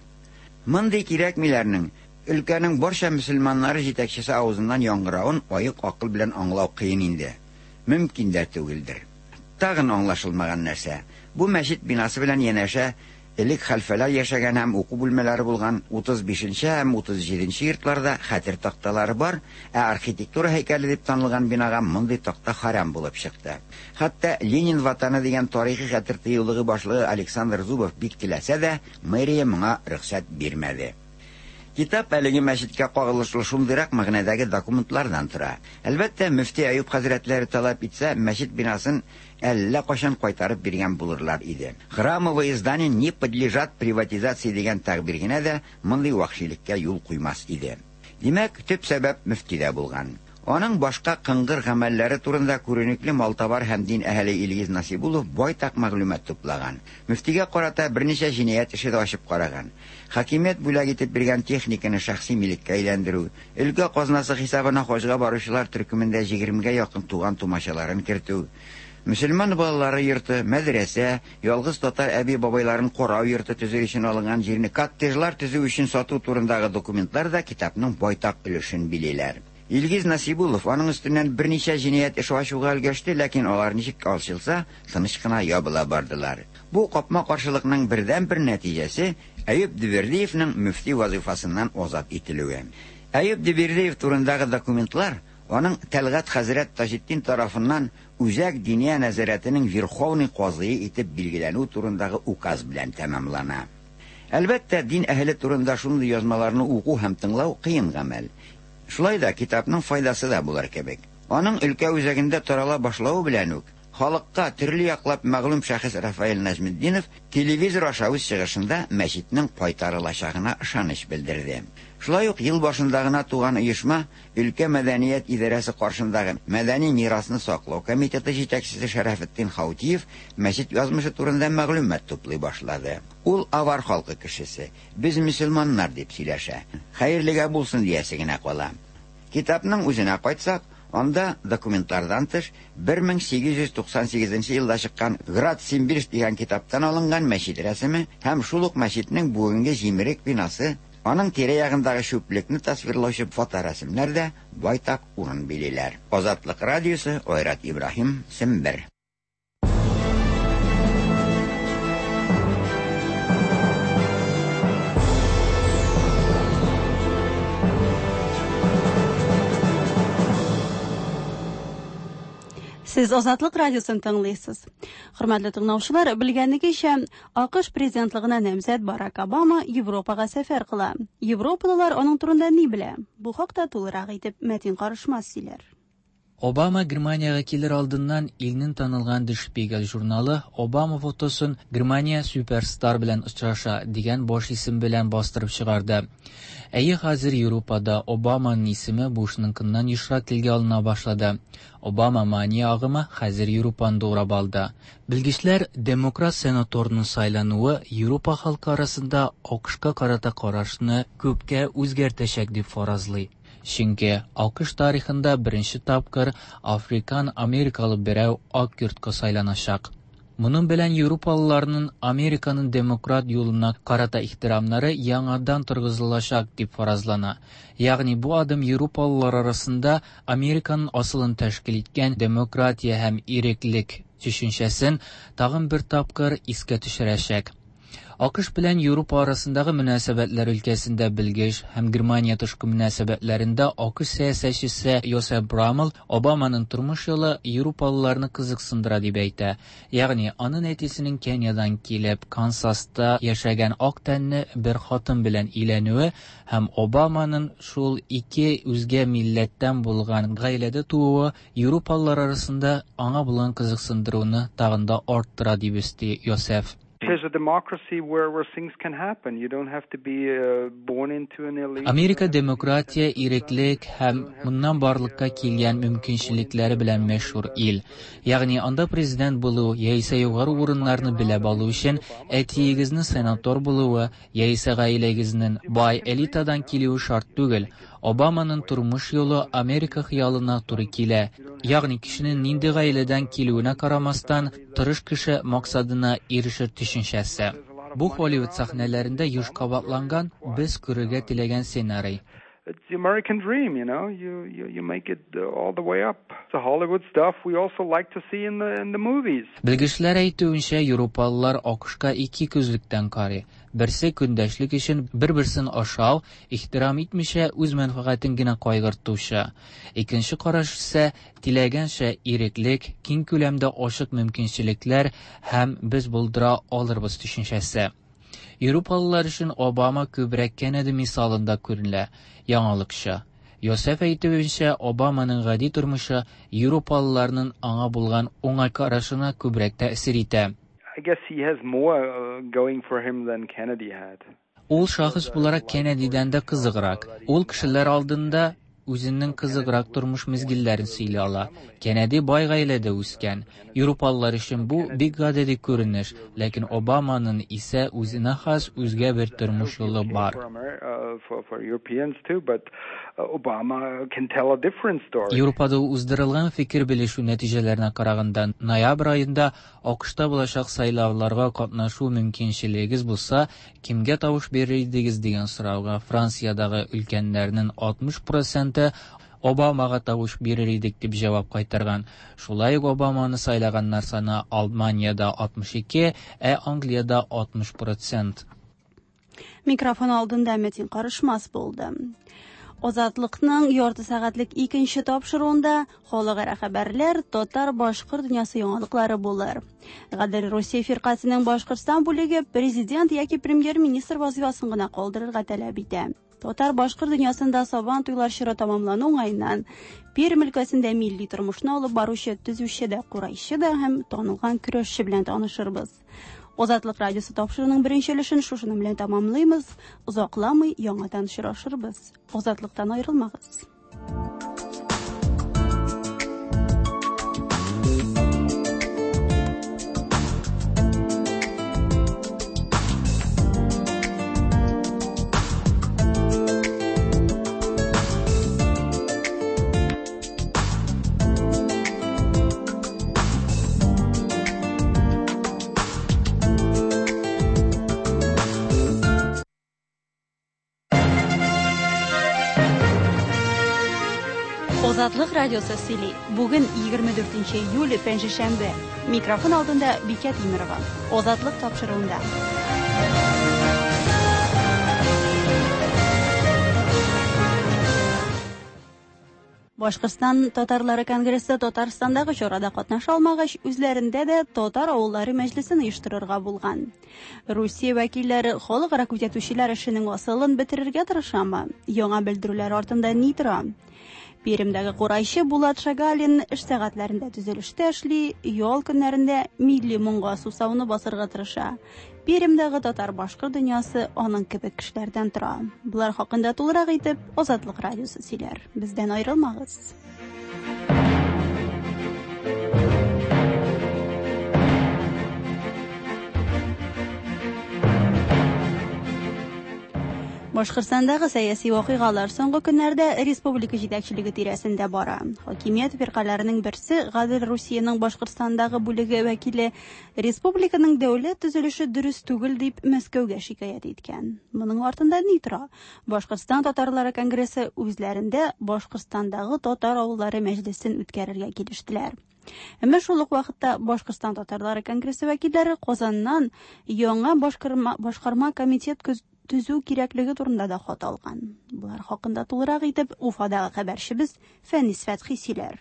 [SPEAKER 16] Мондый кирәкмиләрнең өлкәнең барча мөселманнары җитәкчесе авызыннан яңгыравын аек акыл белән аңлау кыен инде. Мөмкин дә түгелдер. Тагын аңлашылмаган нәрсә. Бу мәчет бинасы белән янәшә элек хәлфәләр яшәгән һәм уку бүлмәләре булган 35 нче һәм 37 нче йортларда хәтер такталары бар, ә архитектура һәйкәле дип танылган бинага мондый такта харам булып чыкты. Хәтта Ленин ватаны дигән тарихи хәтер тыюлыгы башлыгы Александр Зубов бик теләсә дә, мэрия моңа рөхсәт бирмәде. Китап әлеге мәчеткә кагылышлы шундыйрак мәгънәдәге документлардан тора. Әлбәттә, мөфти Әюп хәзрәтләре таләп итсә, мәчет бинасын әллә кайчан кайтарып биргән булырлар иде. Храмовые здания не подлежат приватизации дигән тәгъбир генә дә мондый вәхшилеккә юл куймас иде. Димәк, төп сәбәп мөфтидә булган. Аның башка кыңгыр гамәлләре турында күренекле малтабар һәм дин әһеле Илгиз Насибуллов байтак мәгълүмат туплаган. Мөфтигә карата берничә җинаять эше дә ачып караган. Хакимият бүләк итеп биргән техниканы шәхси милеккә әйләндерү, өлкә казнасы хисабына хаҗга баручылар төркемендә 20гә якын туган тумачаларын кертү, мөселман балалары йорты, мәдрәсә, ялгыз татар әби-бабайларын карау йорты төзү өчен алынган җирне коттеджлар төзү өчен сату турындагы документлар да китапның байтак өлешен билиләр. Илгиз Насибуллов аның өстеннән берничә җинаять эше ачуга өлгәште, ләкин алар ничек ачылса, тыныч кына ябыла бардылар. Бу капма-каршылыкның бердәнбер нәтиҗәсе Әюп Дибердиевның мөфти вазыйфасыннан азат ителүе. Әюп Дибердиев турындагы документлар аның Тәлгать хәзрәт Таҗетдин тарафыннан Үзәк Диния нәзарәтенең верховный казые итеп билгеләнү турындагы указ белән тәмамлана. Әлбәттә, дин әһеле турында шундый язмаларны уку һәм тыңлау кыен гамәл. Шулай да китапның файдасы да булыр кебек. Аның өлкә үзәгендә тарала башлавы белән үк Халыкка төрле яклап мәгълүм шәхес Рафаэль Нәҗметдинов телевизор аша үз чыгышында мәчетнең кайтарылачагына ышаныч белдерде. Шулай ук ел башында гына туган оешма өлкә мәдәният идарәсе каршындагы мәдәни мирасны саклау комитеты җитәкчесе Шәрәфетдин Хаутиев мәчет язмышы турында мәгълүмат туплый башлады. Ул авар халкы кешесе, без мөселманнар дип сөйләшә. Хәерлегә булсын диясе генә кала. Китапның үзенә кайтсак, анда документлардан тыш 1898 елда чыккан Град Симбирск дигән китаптан алынган мәчет рәсеме һәм шул ук мәчетнең бүгенге җимерек бинасы, аның тирә-ягындагы чүплекне тасвирлаучы фоторәсемнәр дә байтак урын билиләр. Азатлык радиосы, Айрат Ибраһим, Сембер.
[SPEAKER 1] Сез Азатлык радиосын тыңлыйсыз. Хөрмәтле тыңлаучылар, белгәнегезчә, АКШ президентлыгына намзәт Барак Обама Европага сәфәр кыла. Европалылар аның турында ни белә? Бу хакта тулырак итеп Мәтин Карышмас сөйләр.
[SPEAKER 17] Обама Германиягә килер алдыннан илнең танылган Der Spiegel журналы Обама фотосын Германия суперстар белән очраша дигән баш исем белән бастырып чыгарды. Әйе, хәзер Европада Обаманың исеме Бушныкыннан ешрак телгә алына башлады. Обама мания агымы хәзер Европаны да урап алды. Белгечләр демократ сенаторның сайлануы Европа халкы арасында АКШка карата карашны күпкә үзгәртәчәк дип фаразлый. Чөнки АКШ тарихында беренче тапкыр африкан америкалы берәү Ак йортка сайланачак. Моның белән европалыларның Американың демократ юлына карата ихтирамнары яңадан торгызылачак дип фаразлана. Ягъни бу адым европалылар арасында Американың асылын тәшкил иткән демократия һәм иреклек төшенчәсен тагын бер тапкыр искә төшерәчәк. АКШ белән Европа арасындагы мөнәсәбәтләр өлкәсендә белгеч һәм Германия тышкы мөнәсәбәтләрендә АКШ сәясәтчесе Йосеф Брамел Обаманың тормыш юлы европалыларны кызыксындыра дип әйтә. Ягъни аның әтисенең Кениядан килеп Кансаста яшәгән ак тәнле бер хатын белән өйләнүе һәм Обаманың шул ике үзгә милләттән булган гаиләдә тууы европалылар арасында аңа булган кызыксындыруны тагын да арттыра дип өсти Йосеф.
[SPEAKER 18] There's a democracy where things can happen. You don't have to be born into an elite.
[SPEAKER 17] Америка демократия, иреклек һәм моннан барлыкка килгән мөмкинчелекләре белән мәшһүр ил. Ягъни анда президент булу яисә югары урыннарны беләп алу өчен әтиегезнең сенатор булуы яисә гаиләгезнең бай элитадан килүе шарт түгел. Обаманың тормыш юлы Америка хыялына туры килә. Ягъни кешенең нинди гаиләдән килүенә карамастан, тырыш кеше максатына ирешер төшенчәсе. Бу Холливуд сәхнәләрендә еш кабатланган без күрергә теләгән сценарий.
[SPEAKER 18] It's the American dream, you know. You make it all the way up. The Hollywood stuff we also like to see in the movies.
[SPEAKER 17] Белгечләр әйтүенчә, европалылар АКШка ике күзлектән карый. Берсе көндәшлек өчен бер-берсен ашау, ихтирам итмичә үз мәнфәгатен генә кайгыртучы. Икенче караш исә теләгәнчә иреклек, киң күләмдә ачык мөмкинчелекләр һәм без булдыра алырбыз төшенчәсе. Европалылар өчен Обама күбрәк Кеннеди мисалында күренә, яңалыкчы. Йосеф әйтүенчә, Обаманың гади тормышы европалыларның аңа булган уңай карашына күбрәк тәэсир итә.
[SPEAKER 18] I guess he has more going for him than Kennedy had.
[SPEAKER 17] Ул шәхес буларак Кеннедидән дә кызыграк. Ул кешеләр алдында үзенең кызыграк тормыш мизгелләрен сөйли ала. Кеннеди бай гаиләдә үскән. Европалылар өчен бу бик гадәти күренеш, ләкин Обаманың исә үзенә хас үзгә бер тормыш юлы бар.
[SPEAKER 18] For Europeans too, but Obama can tell a different story.
[SPEAKER 17] Европада уздырылган фикер белешү нәтиҗәләренә караганда, ноябрь аенда АКШта булачак сайлауларга катнашу мөмкинчелегегез булса, кемгә тавыш бирер идегез дигән сорауга Франциядагы өлкәннәрнең 60% Обамага тавыш бирер идек дип җавап кайтарган. Шулай ук Обаманы сайлаганнар саны Алманиядә 62, ә Англиядә 60%.
[SPEAKER 1] Микрофон алдында Мәтин Карышмас булды. Азатлыкның ярты сәгатьлек икенче тапшыруында халыкара хәбәрләр, татар башкорт дөньясы яңалыклары булыр. Гадел Русия фиркасының Башкортстан бүлеге президент яки премьер-министр вазифасын гына калдырырга таләп итә. Татар-башкорт дөньясында Сабан туйлар чоры тәмамлану уңаеннан Пермь өлкәсендә милли тормышны алып баручы төзүче дә, курайчы да һәм танылган көрәшче белән танышырбыз. Азатлык радиосы тапшыруының беренче өлешен шушының белән тәмамлыйбыз. Озакламый яңадан очрашырбыз. Азатлыктан аерылмагыз. Азатлык радиосы сөйли. Бүген 24 июль, пәнҗешәмбе. Микрофон алдында Бикә Тимерова. Азатлык тапшыруында. Башкортстан татарлары конгрессы Татарстандагы чарада катнаша алмагач, үзләрендә дә татар авыллары мәҗлесен оештырырга булган. Русия вәкилләре халыкара күзәтүчеләр эшенең асылын бетерергә тырышамы? Яңа белдерүләр артында ни тора? Пермьдәге курайчы Булат Шагалин эш сәгатьләрендә төзелештә эшли, ял көннәрендә милли моңга сусауны басырга тырыша. Пермьдәге татар-башкорт дөньясы аның кебек кешеләрдән тора. Болар хакында тулырак итеп Азатлык радиосы сөйләр. Бездән аерылмагыз. Башкортстандагы сәяси вакыйгалар соңгы көннәрдә республика җитәкчелеге тирәсендә бара. Хакимият фиркаләренең берсе Гадел Русиянең Башкортстандагы бүлеге вәкиле республиканың дәүләт төзелеше дөрес түгел дип Мәскәүгә шикаять иткән. Моның артында ни тора? Башкортстан татарлары конгрессы үзләрендә Башкортстандагы татар авыллары мәҗлесен үткәрергә килештеләр. Әмма шул ук вакытта Башкортстан татарлары конгрессы вәкилләре Казаннан яңа башкарма комитет төзү кирәклеге турында да хат алган. Болар хакында тулырак итеп Уфадагы хәбәрчебез Фәнис Фәтхи сөйләр.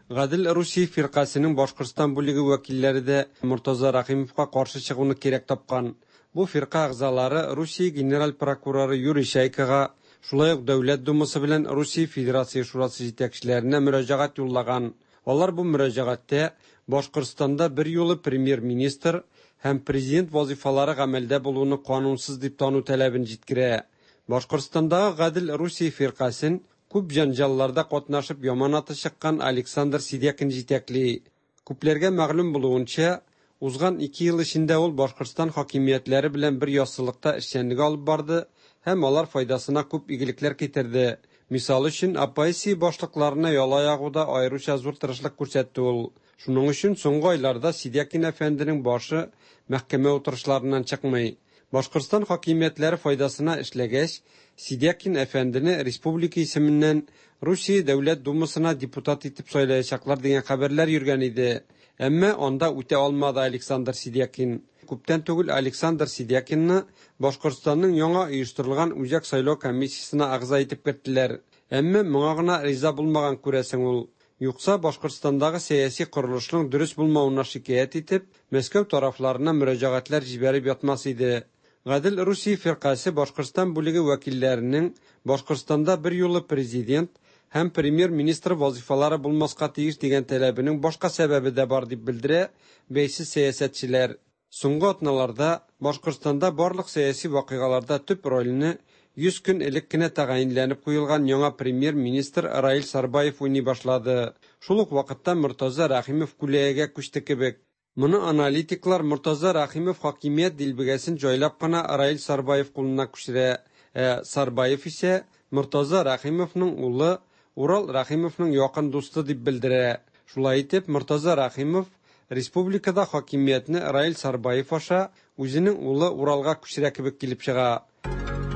[SPEAKER 19] Гадел Русия фиркасының Башкортстан бүлеге вәкилләре дә Мортаза Рәхимовка каршы чыгуны кирәк тапкан. Бу фирка әгъзалары Русия генераль прокуроры Юрий Чайкага, шулай ук Дәүләт Думасы белән Русия Федерация Шурасы җитәкчеләренә мөрәҗәгать юллаган. Алар бу мөрәҗәгатьтә Башкортстанда бер юлы премьер-министр һәм президент вазифалары гамәлдә булуны канунсыз дип тану таләбен җиткерә. Башкортстандагы Гадел Русия фиркасен күп җанҗалларда катнашып яман аты чыккан Александр Сидякин җитәкли. Күпләргә мәгълүм булуынча, узган 2 ел эчендә ул Башкортстан хакимиятләре белән бер яссылыкта эшчәнлек алып барды һәм алар файдасына күп игелекләр китерде. Мисал өчен, оппозиция башлыкларына яла ягуда аеруча зур тырышлык күрсәтте ул. Шуның өчен соңгы айларда Сидякин әфәнденең башы мәхкәмә утырышларыннан чыкмый. Башкортстан хакимиятләре файдасына эшләгәч, Сидякин әфәндене республика исеменнән Русия Дәүләт Думасына депутат итеп сайлаячаклар дигән хәбәрләр йөргән иде. Әмма анда үтә алмады Александр Сидякин. Күптән түгел Александр Сидякинны Башкортстанның яңа оештырылган Үзәк сайлау комиссиясенә әгъза итеп керттеләр. Әмма моңа гына риза булмаган күрәсең ул. Юкса Башкортстандагы сәяси корылышның дөрес булмавына шикаять итеп, Мәскәү тарафларына мөрәҗәгатьләр җибәреп ятмас иде. Гадел Русия фиркасе Башкортстан бүлеге вәкилләренең Башкортстанда бер юлы президент һәм премьер-министр вазифалары булмаска тиеш дигән таләбенең башка сәбәбе дә бар дип белдерә бәйсез сәясәтчеләр. Соңгы атналарда Башкортстанда барлык сәяси вакыйгаларда төп рольне 100 көн элек кенә тәгаенләнеп куелган яңа премьер-министр Раил Сарбаев уйный башлады. Шул ук вакытта Мортаза Рәхимов күләгәгә күчте кебек. Моны аналитиклар Мортаза Рәхимов хакимият дилбегәсен җайлап кына Раил Сарбаев кулына күчерә. Ә Сарбаев исә Мортаза Рәхимовның улы Урал Рәхимовның якын дусты дип белдерә. Шулай итеп, Мортаза Рәхимов республикада хакимиятне Раил Сарбаев аша үзенең улы Уралга күчерә кебек килеп чыга.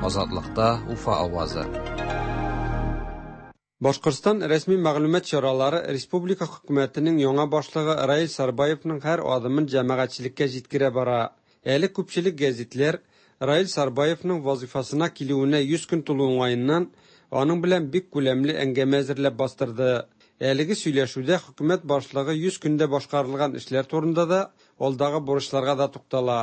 [SPEAKER 15] Азатлыкта Уфа авазы.
[SPEAKER 19] Башкортстан рәсми мәгълүмат чаралары республика хөкүмәтенең яңа башлыгы Раил Сарбаевның һәр адымын җәмәгатьчелеккә җиткерә бара. Әле күпчелек гәзитләр Раил Сарбаевның вазифасына килүенә 100 көн тулу уңаеннан аның белән бик күләмле әңгәмә әзерләп бастырды. Әлеге сөйләшүдә хөкүмәт башлыгы 100 көндә башкарылган эшләр турында да, алдагы бурычларга да туктала.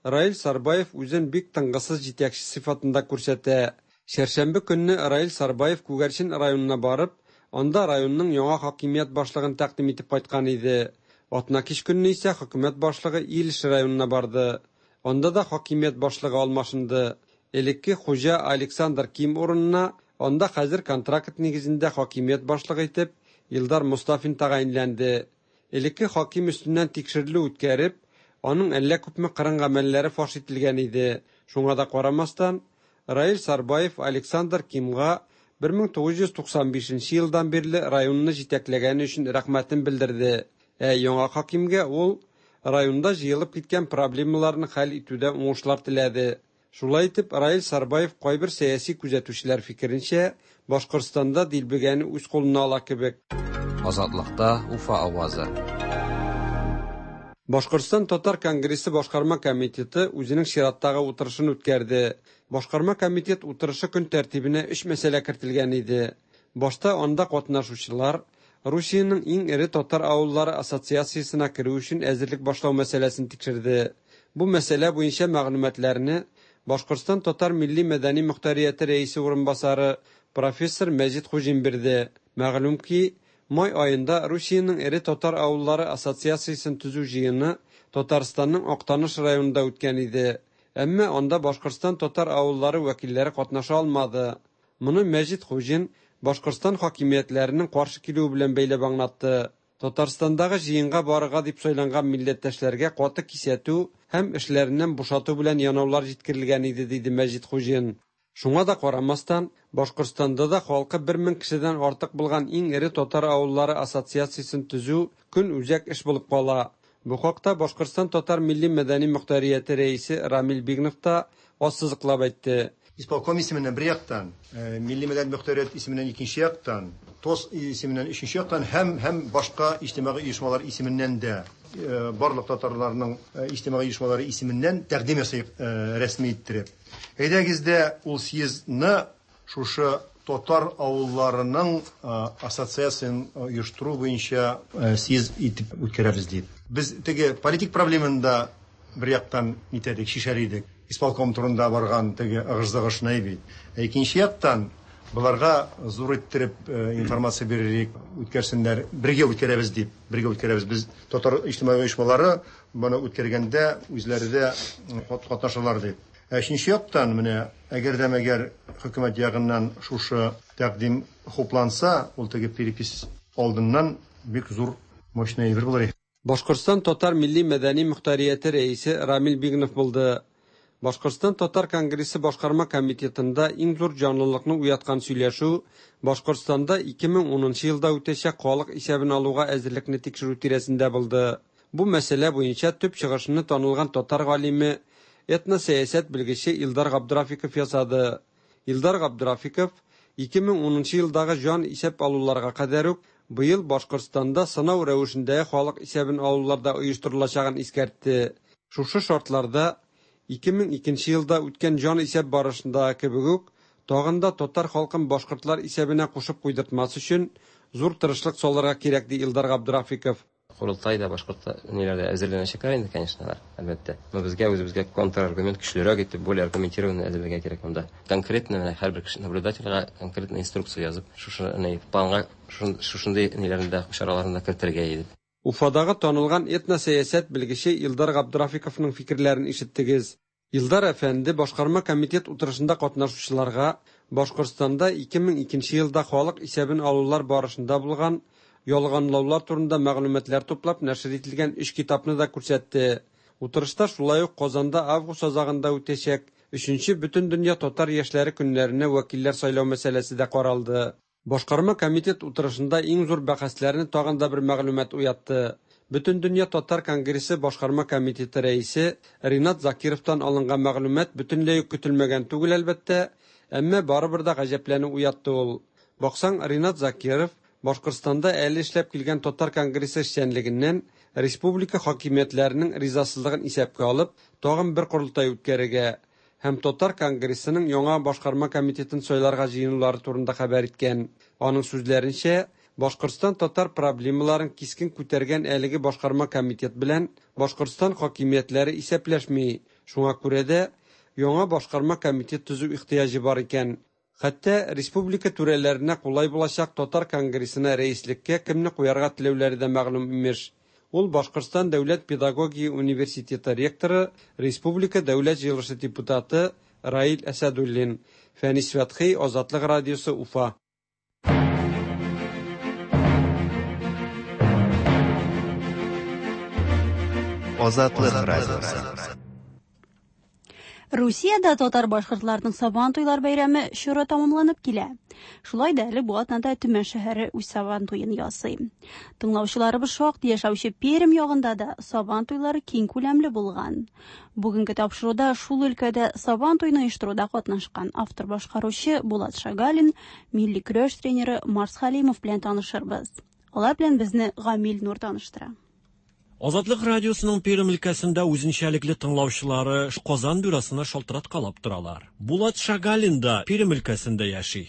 [SPEAKER 19] Раил Сарбаев үзен бик тынгысыз җитәкче сыйфатында күрсәтә. Чәршәмбе көнне Раил Сарбаев Күгәрчен районына барып, анда районның яңа хакимият башлыгын тәкъдим итеп кайткан иде. Атнакич көнне исә хөкүмәт башлыгы Илеш районына барды. Анда да хакимият башлыгы алмашынды. Элекке хуҗа Александр Ким урынына анда хәзер контракт нигезендә хакимият башлыгы итеп Илдар Мостафин тәгаенләнде. Элекке хаким өстеннән тикшерелү үткәреп, аның әллә күпме кырын гамәлләре фаш ителгән иде. Шуңа да карамастан, Раил Сарбаев Александр Кимга 1995 елдан бирле районны җитәкләгәне өчен рәхмәтен белдерде. Ә яңа хакимгә ул районда җыелып киткән проблемаларны хәл итүдә уңышлар теләде. Шулай итеп, Раил Сарбаев кайбер сәяси күзәтүчеләр фикеренчә, Башкортстанда дилбегәне үз кулына ала кебек.
[SPEAKER 15] Азатлыкта Уфа авазы.
[SPEAKER 19] Башкортстан татар конгрессы башкарма комитеты үзенең чираттагы утырышын үткәрде. Башкарма комитет утырышы көн тәртибенә өч мәсьәлә кертелгән иде. Башта анда катнашучылар Русиянең иң эре татар авыллары ассоциациясенә керү өчен әзерлек башлау мәсьәләсен тикшерде. Бу мәсьәлә буенча мәгълүматларны Башкортстан татар милли-мәдәни мохтарияте рәисе урынбасары профессор Мәҗит Хуҗин бирде. Мәгълүм ки, май аенда Русиянең эре татар авыллары ассоциациясен төзү җыены Татарстанның Актаныш районында үткән иде. Әмма анда Башкортстан татар авыллары вәкилләре катнаша алмады. Моны Мәҗит Хуҗин Башкортстан хакимиятләренең каршы килүе белән бәйләп аңлатты. Татарстандагы җыенга барырга дип сайланган милләттәшләргә каты кисәтү һәм эшләреннән бушату белән янаулар җиткерелгән иде, диде Мәҗит Хуҗин. Шуңа да карамастан, Башкортстанда да халкы 1000 кешедән артык булган иң эре татар авыллары ассоциациясен төзү көн үзәк эш булып кала. Бу хакта Башкортстан татар милли-мәдәни мохтарияте рәисе Рамил Бигнов та ассызыклап әйтте.
[SPEAKER 20] Исполком исеменнән бер яктан, милли мәдәни мохтарият исеменнән икенче яктан, ТОС исеменнән өченче яктан һәм башка иҗтимагый оешмалар исеменнән дә, барлык татарларның иҗтимагый оешмалары исеменнән тәкъдим ясыйк рәсми иттереп. Әйдәгез дә ул съездны шушы татар авылларының ассоциациясен оештыру буенча съезд итеп үткәрәбез дип. Без теге политик проблеманы да бер яктан нитәдек, шишәр идек. Исполком турында барган теге ыгыш-зыгышны бит. Ә икенче яктан боларга зур иттереп информация бирерик, үткәрсеннәр, бергә үткәрәбез дип, бергә үткәрәбез. Без татар иҗтимагый оешмалары моны үткәргәндә үзләре дә катнашалар дип. Ә өченче яктан менә әгәр дә мәгәр хөкүмәт ягыннан шушы тәкъдим хупланса, ул теге перепись алдыннан бик зур мощный әйбер булыр.
[SPEAKER 19] Башкортстан татар милли-мәдәни мохтарияте рәисе Рамил Бигнов булды. Башкортстан татар конгрессы башкарма комитетында иң зур җанлылыкны уяткан сөйләшү Башкортстанда 2010 елда үтәчәк халык исәбен алуга әзерлекне тикшерү тирәсендә булды. Бу мәсьәлә буенча төп чыгышны танылган татар галиме, этносәясәт белгече Илдар Габдрафиков ясады. Илдар Габдрафиков 2010 елдагы җан исәп алуларга кадәр үк быел Башкортстанда сынау рәвешендәге халык исәбен алуларда оештырылачагын искәртте. Шушы шартларда 2002 елда үткән җан исәп барышындагы кебек үк, тагын да татар халкын башкортлар исәбенә кушып куйдыртмас өчен зур тырышлык салырга кирәк, ди Илдар Габдрафиков.
[SPEAKER 21] Корылтай да башкорт ниләрдә әзерләнәчәкләр инде, конечно, алар, әлбәттә. Но безгә үзебезгә контраргумент көчлерәк итеп, более аргументированно әзерләргә кирәк монда. Конкретно менә һәрбер кеше наблюдательгә конкретно инструкция язып, шушы ни планга шушындый ниләрне дә чараларны да кертергә иде.
[SPEAKER 19] Уфадагы танылган этносәясәт белгече Илдар Габдрафиковның фикерләрен ишеттегез. Илдар әфәнде башкарма комитет утырышында катнашучыларга Башкортстанда 2002 елда халык исәбен алулар барышында булган ялганлаулар турында мәгълүматлар туплап нәшер ителгән өч китапны да күрсәтте. Утырышта шулай ук Казанда август азагында үтәчәк 3нче Бөтендөнья татар яшьләре көннәренә вәкилләр сайлау мәсьәләсе дә каралды. Башкарма комитет утырышында иң зур бәхәсләрне тагын да бер мәгълүмат уятты. Бөтендөнья татар конгрессы башкарма комитеты рәисе Ринат Закировтан алынган мәгълүмат бөтенләй үк көтелмәгән түгел, әлбәттә, әмма барыбер дә гаҗәпләнү уятты ул. Баксаң, Ринат Закиров Башкортстанда әле эшләп килгән татар конгрессы эшчәнлегеннән республика хакимиятләренең ризасызлыгын исәпкә алып, тагын бер корылтай үткәрергә һәм татар конгрессының яңа башкарма комитетын сайларга җыенулары турында хәбәр иткән. Аның сүзләренчә, Башкортстан татар проблемаларын кискен күтәргән әлеге башкарма комитет белән Башкортстан хакимиятләре исәпләшми. Шуңа күрә дә яңа башкарма комитет төзү ихтыяҗы бар икән. Хәтта республика түрәләренә кулай булачак татар конгрессына рәислеккә кемне куярга теләүләре дә мәгълүм имеш. Ул Башкортстан дәүләт педагогия университеты ректоры, республика Дәүләт җыелышы депутаты Раил Әсәдуллин. Фәнис Фәтхи, Азатлык радиосы, Уфа.
[SPEAKER 3] Азатлык радиосы.
[SPEAKER 1] Русиядә татар-башкортларның Сабан туйлар бәйрәме чоры тәмамланып килә. Шулай да әле бу атнада Төмән шәһәре үз Сабан туен ясый. Тыңлаучыларыбыз шактый яшәүче Пермь ягында да Сабан туйлары киң күләмле булган. Бүгенге тапшыруда шул өлкәдә Сабан туен оештыруда катнашкан автор-башкаручы Булат Шагалин, милли көрәш тренеры Марс Хәлимов белән танышырбыз. Алар белән безне Гамил Нур таныштыра.
[SPEAKER 5] Азатлык радиосының Пермь өлкәсендә үзенчәлекле тыңлаучылары Казан бюросына шалтыраткалап торалар. Булат Шагалин да Пермь өлкәсендә яши.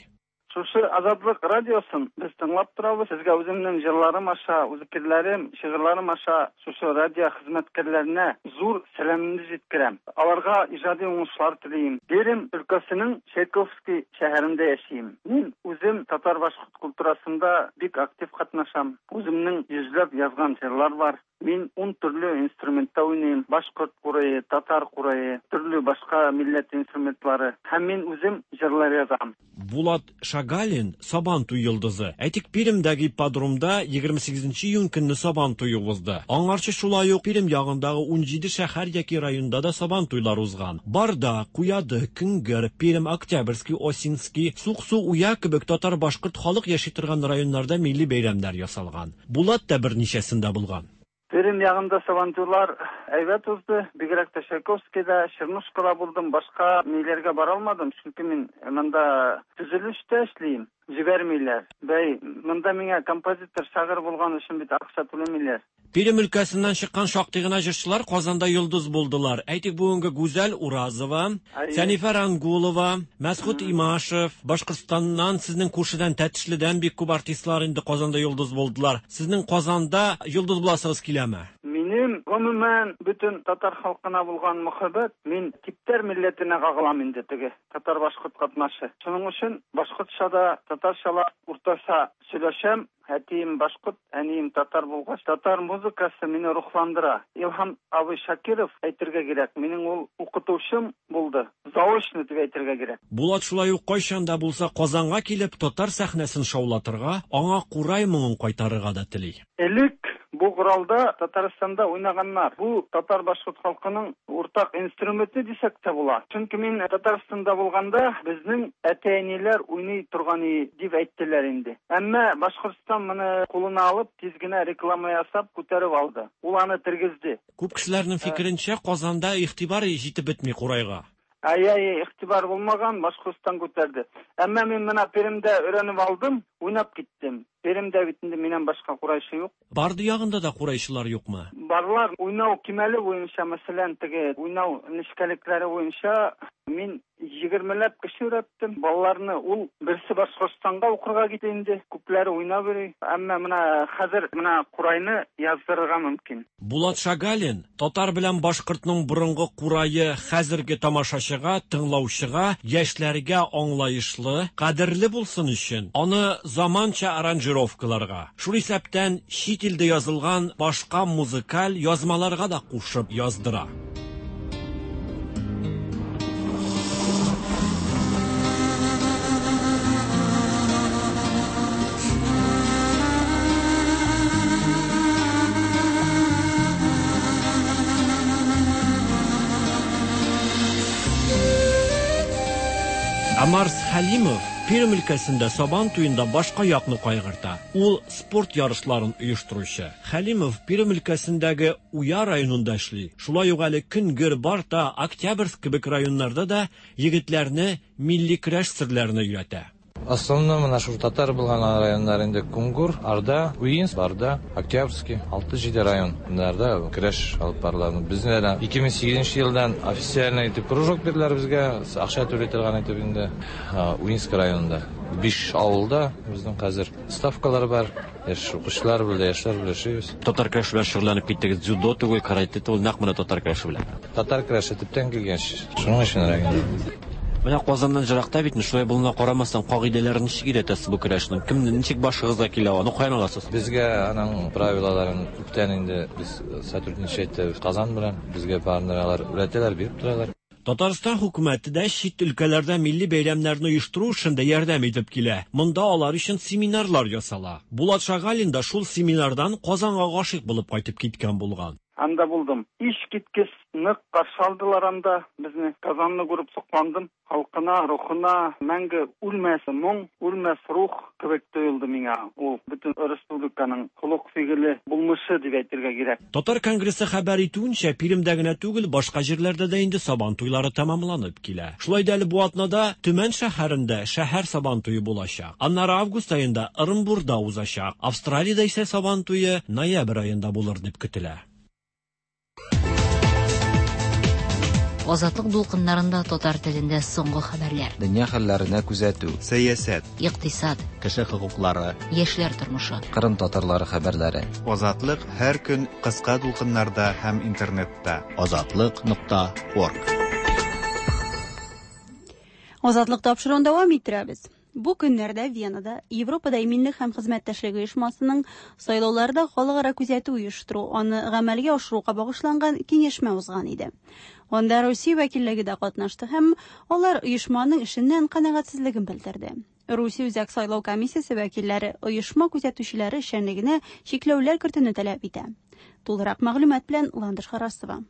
[SPEAKER 22] Шушы Азатлык радиосын без тыңлап торабыз. Сезгә үземнең җырларым аша, фикерләрем, шигырьләрем аша шушы радио хезмәткәрләренә зур сәламемне җиткерәм. Аларга иҗади уңышлар телим. Пермь өлкәсенең Чайковский шәһәрендә яшим. Мин үзем татар-башкорт культурасында бик актив катнашам. Үземнең йөзләп язган җырлар бар. Мин 10 төрле инструментта уйныйм. Башкорт курае, татар курае, төрле башка милләт инструментлары. Һәм мин үзем җырлар язам.
[SPEAKER 5] Булат Шагалин Сабан туй йолдызы. Әйтик, Пермьдәге ипподромда 28 июнь көнне Сабан туе узды. Аңарчы шулай ук Пермь ягындагы 17 шәһәр яки районда да Сабан туйлар узган. Барда, Куяды, Көнгер, Пермь, Октябрьский, Осинский, Суксу, Уя кебек татар-башкорт халык яши торган районнарда милли бәйрәмнәр ясалган. Булат та берничәсендә булган.
[SPEAKER 22] Пермь ягында Сабантуйлар әйбәт узды. Бигрәк тә Чайковскийда, Чернушкада булдым. Башка ниләргә бара алмадым, чөнки мин монда төзелештә эшлим. Җибәрмиләр. Бәй, монда миңа композитор, шагыйрь булган өчен бит акча түләмиләр.
[SPEAKER 5] Пермь өлкәсеннән чыккан шактый гына җырчылар Казанда йолдыз булдылар. Әйтик, бүгенге Гүзәл Уразова, Сәнифә Рангулова, Мәсхүт Имашев, Башкортстаннан, сезнең күршедән Тәтешледән бик күп артистлар инде Казанда йолдыз булдылар. Сезнең Казанда йолдыз буласыгыз киләме?
[SPEAKER 22] Минем гомумән бөтен татар халкына булган мәхәббәт, мин типтәр милләтенә кагылам инде теге татар-башкорт катнашы. Шуның өчен башкортча да, татарча да уртача сөйләшәм. Әтием башкорт, әнием татар булгач, татар музыкасы мине рухландыра. Илһам абый Шакиров әйтергә кирәк, минем ул укытучым булды. Заочно дип әйтергә кирәк.
[SPEAKER 5] Булат шулай ук кайчан да булса Казанга килеп татар сәхнәсен шаулатырга, аңа курай моңын кайтарырга да тели.
[SPEAKER 22] Элек бу коралда Татарстанда уйнаганнар. Бу татар-башкорт халкының уртак инструменты дисәк тә була. Чөнки мин Татарстанда булганда безнең әти-әниләр уйный торган дип әйттеләр инде. Әмма Башкортстан моны кулына алып, тиз генә реклама ясап күтәреп алды. Ул аны тергезде.
[SPEAKER 5] Күп кешеләрнең фикеренчә, Казанда игътибар җитеп бетми курайга.
[SPEAKER 22] Ай-ай, игътибар булмаган, Башкортстан күтәрде. Әмма мин менә Пермьдә өйрәнеп алдым, уйнап киттем. Пермьдә бит инде миннән башка курайчы юк.
[SPEAKER 5] Барды ягында да курайчылар юкмы?
[SPEAKER 22] Барлар. Уйнау кимәле буенча, мәсәлән, теге уйнау нечкәлекләре буенча мин 20ләп кеше өйрәттем. Балаларны ул берсе Башкортстанга укырга китте инде, күпләре уйнап йөри. Әмма менә хәзер менә курайны яздырырга мөмкин.
[SPEAKER 5] Булат Шагалин татар белән башкортның борынгы курае хәзерге тамашачыга, тыңлаучыга, яшьләргә аңлаешлы, кадерле булсын өчен аны заманча аранжировкаларга, шул исәптән чит илдә язылган башка музыкаль язмаларга да кушып яздыра. Ә Марс Хәлимов Пермь өлкәсендә Сабан туенда башка якны кайгырта. Ул спорт ярышларын оештыручы. Хәлимов Пермь өлкәсендәге Уя районында эшли. Шулай ук әле Көнгер, Барта, Октябрьск кебек районнарда да егетләрне милли көрәш серләренә өйрәтә.
[SPEAKER 23] Основном менә шул татар булган районнар инде Кунгур, Арда, Уинск, Барда, Октябрьский, 6-7 районнарда көрәш алып барыла. Безне дә 2008 елдан официально итеп кружок бирделәр безгә, акча түли торган итеп инде Уинск районында. 5 авылда безнең хәзер ставкалар бар, яшь укучылар белән, яшьләр белән эшлибез.
[SPEAKER 5] Татар көрәше белән шөгыльләнеп киттегез, дзюдо түгел, каратэ түгел, нәкъ менә татар көрәше белән.
[SPEAKER 23] Татар көрәше төптән килгән, шуның өчен рәк инде.
[SPEAKER 5] Менә Казаннан җыракта бит, шулай булуына карамастан, кагыйдәләрен ничек өйрәтәсез бу көрәшнең? Кемне ничек башыгызга килә, аны каян аласыз?
[SPEAKER 23] Безгә аның правилаларын күптән инде без сотрудничать итәбез Казан белән. Безгә барын алар өйрәтәләр, биреп торалар.
[SPEAKER 5] Татарстан хөкүмәте дә чит өлкәләрдә милли бәйрәмнәрне оештыру эшендә ярдәм итеп килә. Монда алар өчен семинарлар ясала. Булат Шагалин да шул семинардан Казанга гашыйк булып кайтып киткән булган.
[SPEAKER 22] Анда булдым. Искиткеч нык каршы алдылар анда безне. Казанны күреп сокландым. Халкына, рухына мәңге үлмәс моң, үлмәс рух кебек тоелды миңа. Ул бөтен республиканың холык-фигыле, булмышы дип әйтергә кирәк.
[SPEAKER 5] Татар конгрессы хәбәр итүенчә, Пермьдә генә түгел, башка җирләрдә дә инде Сабан туйлары тәмамланып килә. Шулай да әле бу атнада Төмән шәһәрендә шәһәр Сабан туе булачак. Аннары август аенда Ырынбурда узачак. Австралиядә исә Сабан туе ноябрь аенда булыр дип көтелә.
[SPEAKER 7] Азатлык дулкыннарында татар телендә соңгы хәбәрләр.
[SPEAKER 15] Дөнья хәлләренә күзәтү.
[SPEAKER 3] Сәясәт.
[SPEAKER 7] Икътисад.
[SPEAKER 2] Кеше хокуклары.
[SPEAKER 7] Яшьләр тормышы.
[SPEAKER 15] Кырым татарлары хәбәрләре.
[SPEAKER 3] Азатлык һәр көн кыска дулкыннарда һәм интернетта.
[SPEAKER 2] Азатлык нокта орг.
[SPEAKER 1] Азатлык тапшыруын дәвам иттерәбез. Бу көннәрдә Венада Европада иминлек һәм хезмәттәшлек оешмасының сайлауларда халыкара күзәтү оештыру, аны гамәлгә ашыруга багышланган киңәшмә узган иде. Анда Русия вәкиллеге дә катнашты һәм алар оешманың эшеннән канәгатьсезлеген белдерде. Русия Үзәк сайлау комиссиясе вәкилләре оешма күзәтүчеләре эшчәнлегенә чикләүләр кертүне таләп итә. Тулырак мәгълүмат белән Ландыш Харасова.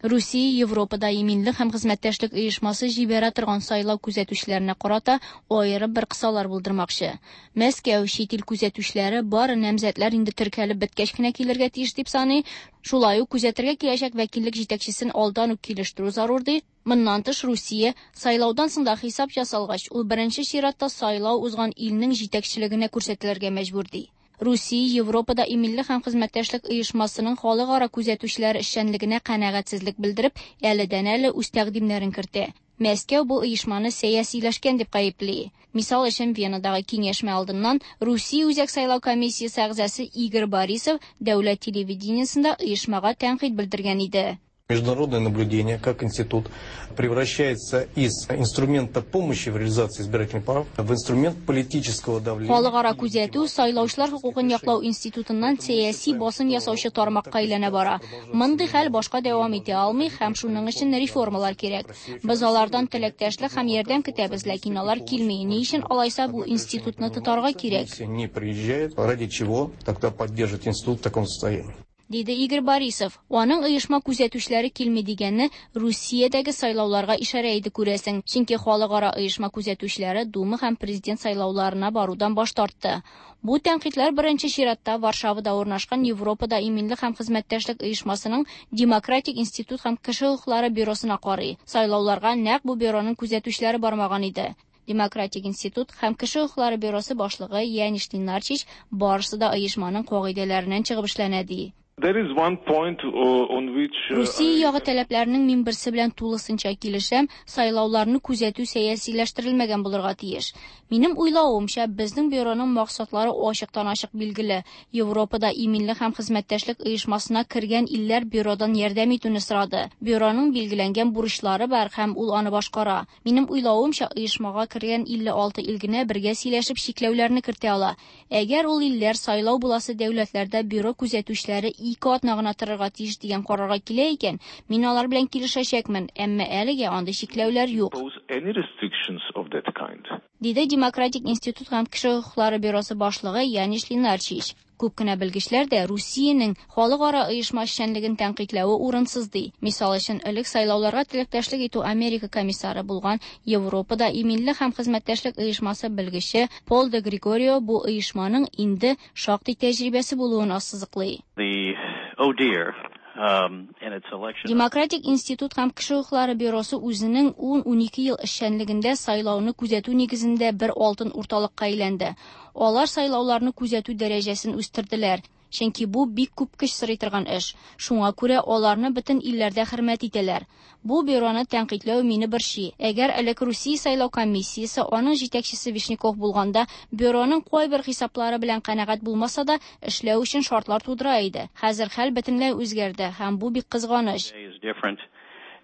[SPEAKER 4] Русия Европада иминлек һәм хезмәттәшлек оешмасы җибәрә торган сайлау күзәтүчеләренә карата аерым бер кысалар булдырмакчы. Мәскәү чит ил күзәтүчеләре бары намзәтләр инде теркәлеп беткәч кенә килергә тиеш дип саный. Шулай ук күзәтергә киләчәк вәкиллек җитәкчесен алдан ук килештерү зарур ди. Моннан тыш Русия сайлаудан соң да хисап ясалгач, ул беренче чиратта сайлау узган илнең җитәкчелегенә күрсәтелергә мәҗбүр ди. Русия Европада иминлек һәм хезмәттәшлек оешмасының халыкара күзәтүчеләре эшчәнлегенә канәгатьсезлек белдереп, әледән-әле үз тәкъдимнәрен кертә. Мәскәү бу оешманы сәясиләшкән дип гаепли. Мисал өчен Венадагы киңәшмә алдыннан Русия Үзәк сайлау комиссиясе әгъзасы Игорь Борисов дәүләт телевидениесендә оешмага тәнкыйть белдергән иде.
[SPEAKER 6] Международное наблюдение как институт превращается из инструмента помощи в реализации избирательных прав в инструмент политического давления.
[SPEAKER 4] Халыкара күзәтү сайлаучылар хокукын яклау институтыннан сәяси басым ясаучы тармакка әйләнә бара. Мондый хәл башка дәвам итә алмый һәм шуның өчен реформалар кирәк. Без алардан теләктәшлек һәм ярдәм көтәбез, ләкин алар килми. Ни өчен алайса бу институтны тотарга кирәк?
[SPEAKER 6] Не приезжают, ради чего тогда поддерживать институт в таком состоянии?
[SPEAKER 4] Диде Игорь Борисов. Аның оешма күзәтүчеләре килми дигәнне Русиядәге сайлауларга ишарә иде күрәсең. Чөнки халыкара оешма күзәтүчеләре Дума һәм президент сайлауларына барудан баш тартты. Бу тәнкыйтьләр беренче чиратта Варшавада урнашкан Европада иминлек һәм хезмәттәшлек оешмасының Демократик институт һәм кеше хокуклары бюросына карый. Сайлауларга нәкъ бу бюроның күзәтүчеләре бармаган иде. Демократик институт һәм кеше хокуклары бюросы башлыгы Яниш Ленарчич барысы да оешманың кагыйдәләреннән чыгып эшләнә ди.
[SPEAKER 8] There is one point on which
[SPEAKER 4] Русия ягы таләпләренең мин берсе белән тулысынча килешәм, сайлауларны күзәтү сәясиләштерелмәгән булырга тиеш. Минем уйлавымча, безнең бюроның максатлары ачыктан-ачык билгеле. Европада иминлек һәм хезмәттәшлек оешмасына кергән илләр бюродан ярдәм итүне сорады. Бюроның билгеләнгән бурычлары бар һәм ул аны башкара. Минем уйлавымча, оешмага кергән 56 ил генә бергә сөйләшеп чикләүләрне кертә ала. Әгәр ул илләр сайлау буласы дәүләтләрдә бюро күзәтүчеләре ике атна гына торырга тиеш дигән карарга килә икән, мин алар белән килешәчәкмен, әмма әлегә андый чикләүләр юк.
[SPEAKER 8] Any restrictions of that kind.
[SPEAKER 4] Диде Демократик институт һәм кеше хокуклары бюросы башлыгы Яниш Ленарчич. Күп кенә белгечләр дә Русиянең халыкара оешма эшчәнлеген тәнкыйтьләве урынсыз ди. Мисал өчен, элек сайлауларга теләктәшлек итү Америка комиссары булган Европада иминлек һәм хезмәттәшлек оешмасы белгече Пол де Григорио бу оешманың инде шактый тәҗрибәсе булуын ассызыклый.
[SPEAKER 24] The ODIHR, and its election.
[SPEAKER 4] Демократик институт һәм кеше хокуклары бюросы үзенең 10-12 ел эшчәнлегендә сайлауны күзәтү нигезендә бер алтын урталыкка әйләнде. Алар сайлауларны күзәтү дәрәҗәсен үстерделәр. Чөнки бу бик күп көч сорый торган эш. Шуңа күрә аларны бөтен илләрдә хөрмәт итәләр. Бу бюроны тәнкыйтьләү мине борчый. Әгәр элек Русия сайлау комиссиясе аның җитәкчесе Вишняков булганда, бюроның кайбер хисаплары белән канәгать булмаса да, эшләү өчен шартлар тудыра иде. Хәзер хәл бөтенләй үзгәрде һәм бу бик кызганыч.
[SPEAKER 24] Is different,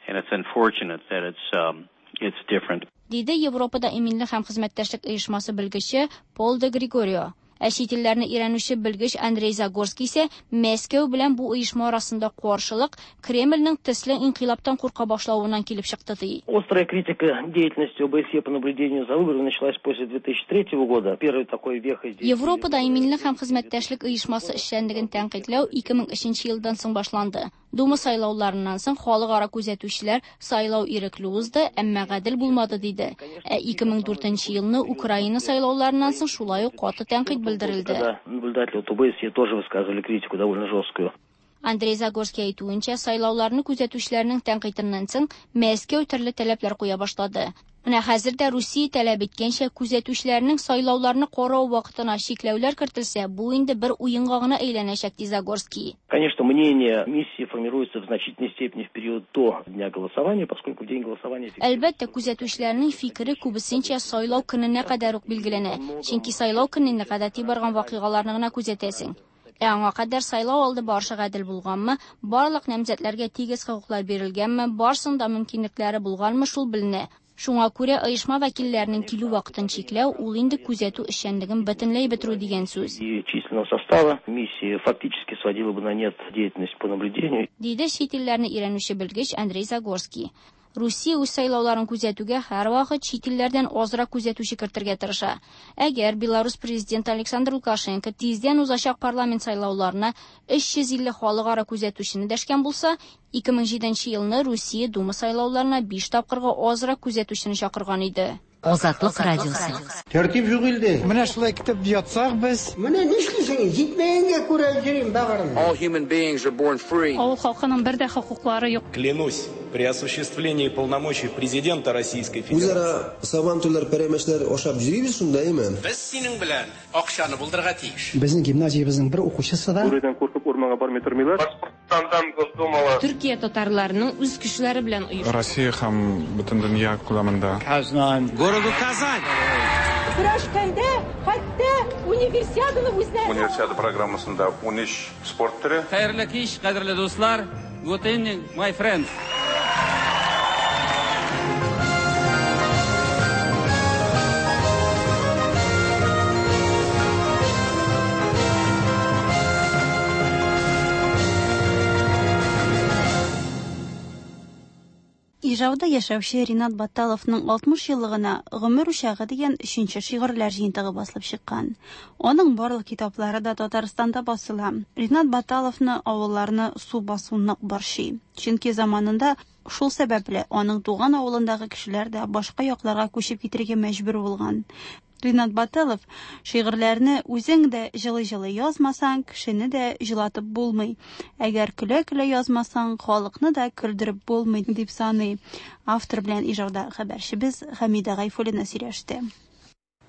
[SPEAKER 24] and it's unfortunate that it's It's different.
[SPEAKER 4] Диде Европада иминлек һәм хезмәттәшлек оешмасы белгече Пол де Григорио. Ә чит илләрне өйрәнүче белгеч Андрей Загорский исә Мәскәү белән бу оешма арасында каршылык Кремльнең төсле инкыйлабтан курка башлавыннан килеп чыкты ди.
[SPEAKER 9] Острая критика деятельности ОБСЕ по наблюдению за выборами началась после 2003 года. Первый такой вехой здесь.
[SPEAKER 4] Европада иминлек һәм хезмәттәшлек оешмасы эшчәнлеген тәнкыйтьләү 2003 елдан соң башланды. Дума сайлауларыннан соң халыкара күзәтүчеләр сайлау ирекле узды, әмма гадел булмады диде. Ә 2004 елны Украина сайлауларыннан соң шулай ук каты тәнкыйть белдерелде.
[SPEAKER 9] Когда наблюдатели от ОБСЕ тоже высказывали критику довольно жесткую.
[SPEAKER 4] Андрей Загорский әйтүенчә, сайлауларны күзәтүчеләрнең тәнкыйтеннән соң Мәскәү төрле таләпләр куя башлады. Менә хәзер дә Русия таләп иткәнчә күзәтүчеләрнең сайлауларны карау вакытына чикләүләр кертелсә, бу инде бер уенга гына әйләнәчәк, ди Загорский.
[SPEAKER 9] Конечно, мнение миссии формируется в значительной степени в период до дня голосования, поскольку в день голосования...
[SPEAKER 4] Әлбәттә, күзәтүчеләрнең фикере күбесенчә сайлау көненә кадәр үк билгеләнә. Чөнки сайлау көненә гадәти барган вакыйгаларны гына күзәтәсең. Ә аңа кадәр сайлау алды барышы гадел булганмы, барлык намзәтләргә тигез хокуклар бирелгәнме, барсының да мөмкинлекләре булганмы, шул беленә. Шуңа күрә оешма вәкилләренең килү вакытын чикләү ул инде күзәтү эшчәнлеген бөтенләй бетерү дигән сүз.
[SPEAKER 9] И численного состава миссии фактически сводила бы на нет деятельность по наблюдению.
[SPEAKER 4] Диде чит илләрне өйрәнүче белгеч Андрей Загорский. Русия үз сайлауларын күзәтүгә һәрвакыт чит илләрдән азрак күзәтүче кертергә тырыша. Әгәр Беларусь президенты Александр Лукашенко тиздән узачак парламент сайлауларына 350 халыкара күзәтүчене дәшкән булса, 2007 елны Русия Дума сайлауларына 5 тапкырга азрак күзәтүчене чакырган иде.
[SPEAKER 7] Азатлык радиосы.
[SPEAKER 10] Тәртип юк илдә. Менә шулай көтеп ятсак без.
[SPEAKER 11] Менә нишлисең? Җитмәгәнгә күрә йөрим бәгырем.
[SPEAKER 12] All human beings are born free.
[SPEAKER 25] Авыл халкының бер дә хокуклары юк.
[SPEAKER 26] Клянусь при осуществлении полномочий президента Российской Федерации.
[SPEAKER 27] Үзара сабантуйлар, пәрәмәчләр ашап йөрибез шунда, әйме?
[SPEAKER 28] Без синең белән акчаны булдырырга тиеш.
[SPEAKER 10] Безнең гимназиябезнең бер укучысы да
[SPEAKER 8] Бүредән куркып урманга бармый тормыйлар.
[SPEAKER 29] Башкортстандан Госдумала.
[SPEAKER 30] Төркия татарларының үз көчләре белән оешкан.
[SPEAKER 31] Россия һәм бөтен дөнья күләмендә.
[SPEAKER 10] Казан.
[SPEAKER 28] Городу Казань.
[SPEAKER 32] Көрәшкәндә хәтта универсиаданы үзләре.
[SPEAKER 33] Универсиада программасында 13 спорт төре.
[SPEAKER 34] Хәерле кич, кадерле дуслар. Good evening, my friends.
[SPEAKER 1] Ижауда яшәүче Ринат Батталовның 60 еллыгына Гомер учагы дигән өченче шигырьләр җыентыгы басылып чыккан. Аның барлык китаплары да Татарстанда басыла. Ринат Батталовны авылларны су басу нык борчый. Чөнки заманында шул сәбәпле аның туган авылындагы кешеләр дә башка якларга күчеп китәргә мәҗбүр булган. Ринат Баталов шигырьләрне үзең дә җылы-җылы язмасаң, кешене дә җылатып булмый. Әгәр көлә-көлә язмасаң, халыкны да көлдереп булмый, дип саный. Автор белән Ижауда хәбәрчебез Хәмидә Гайфуллина сөйләште.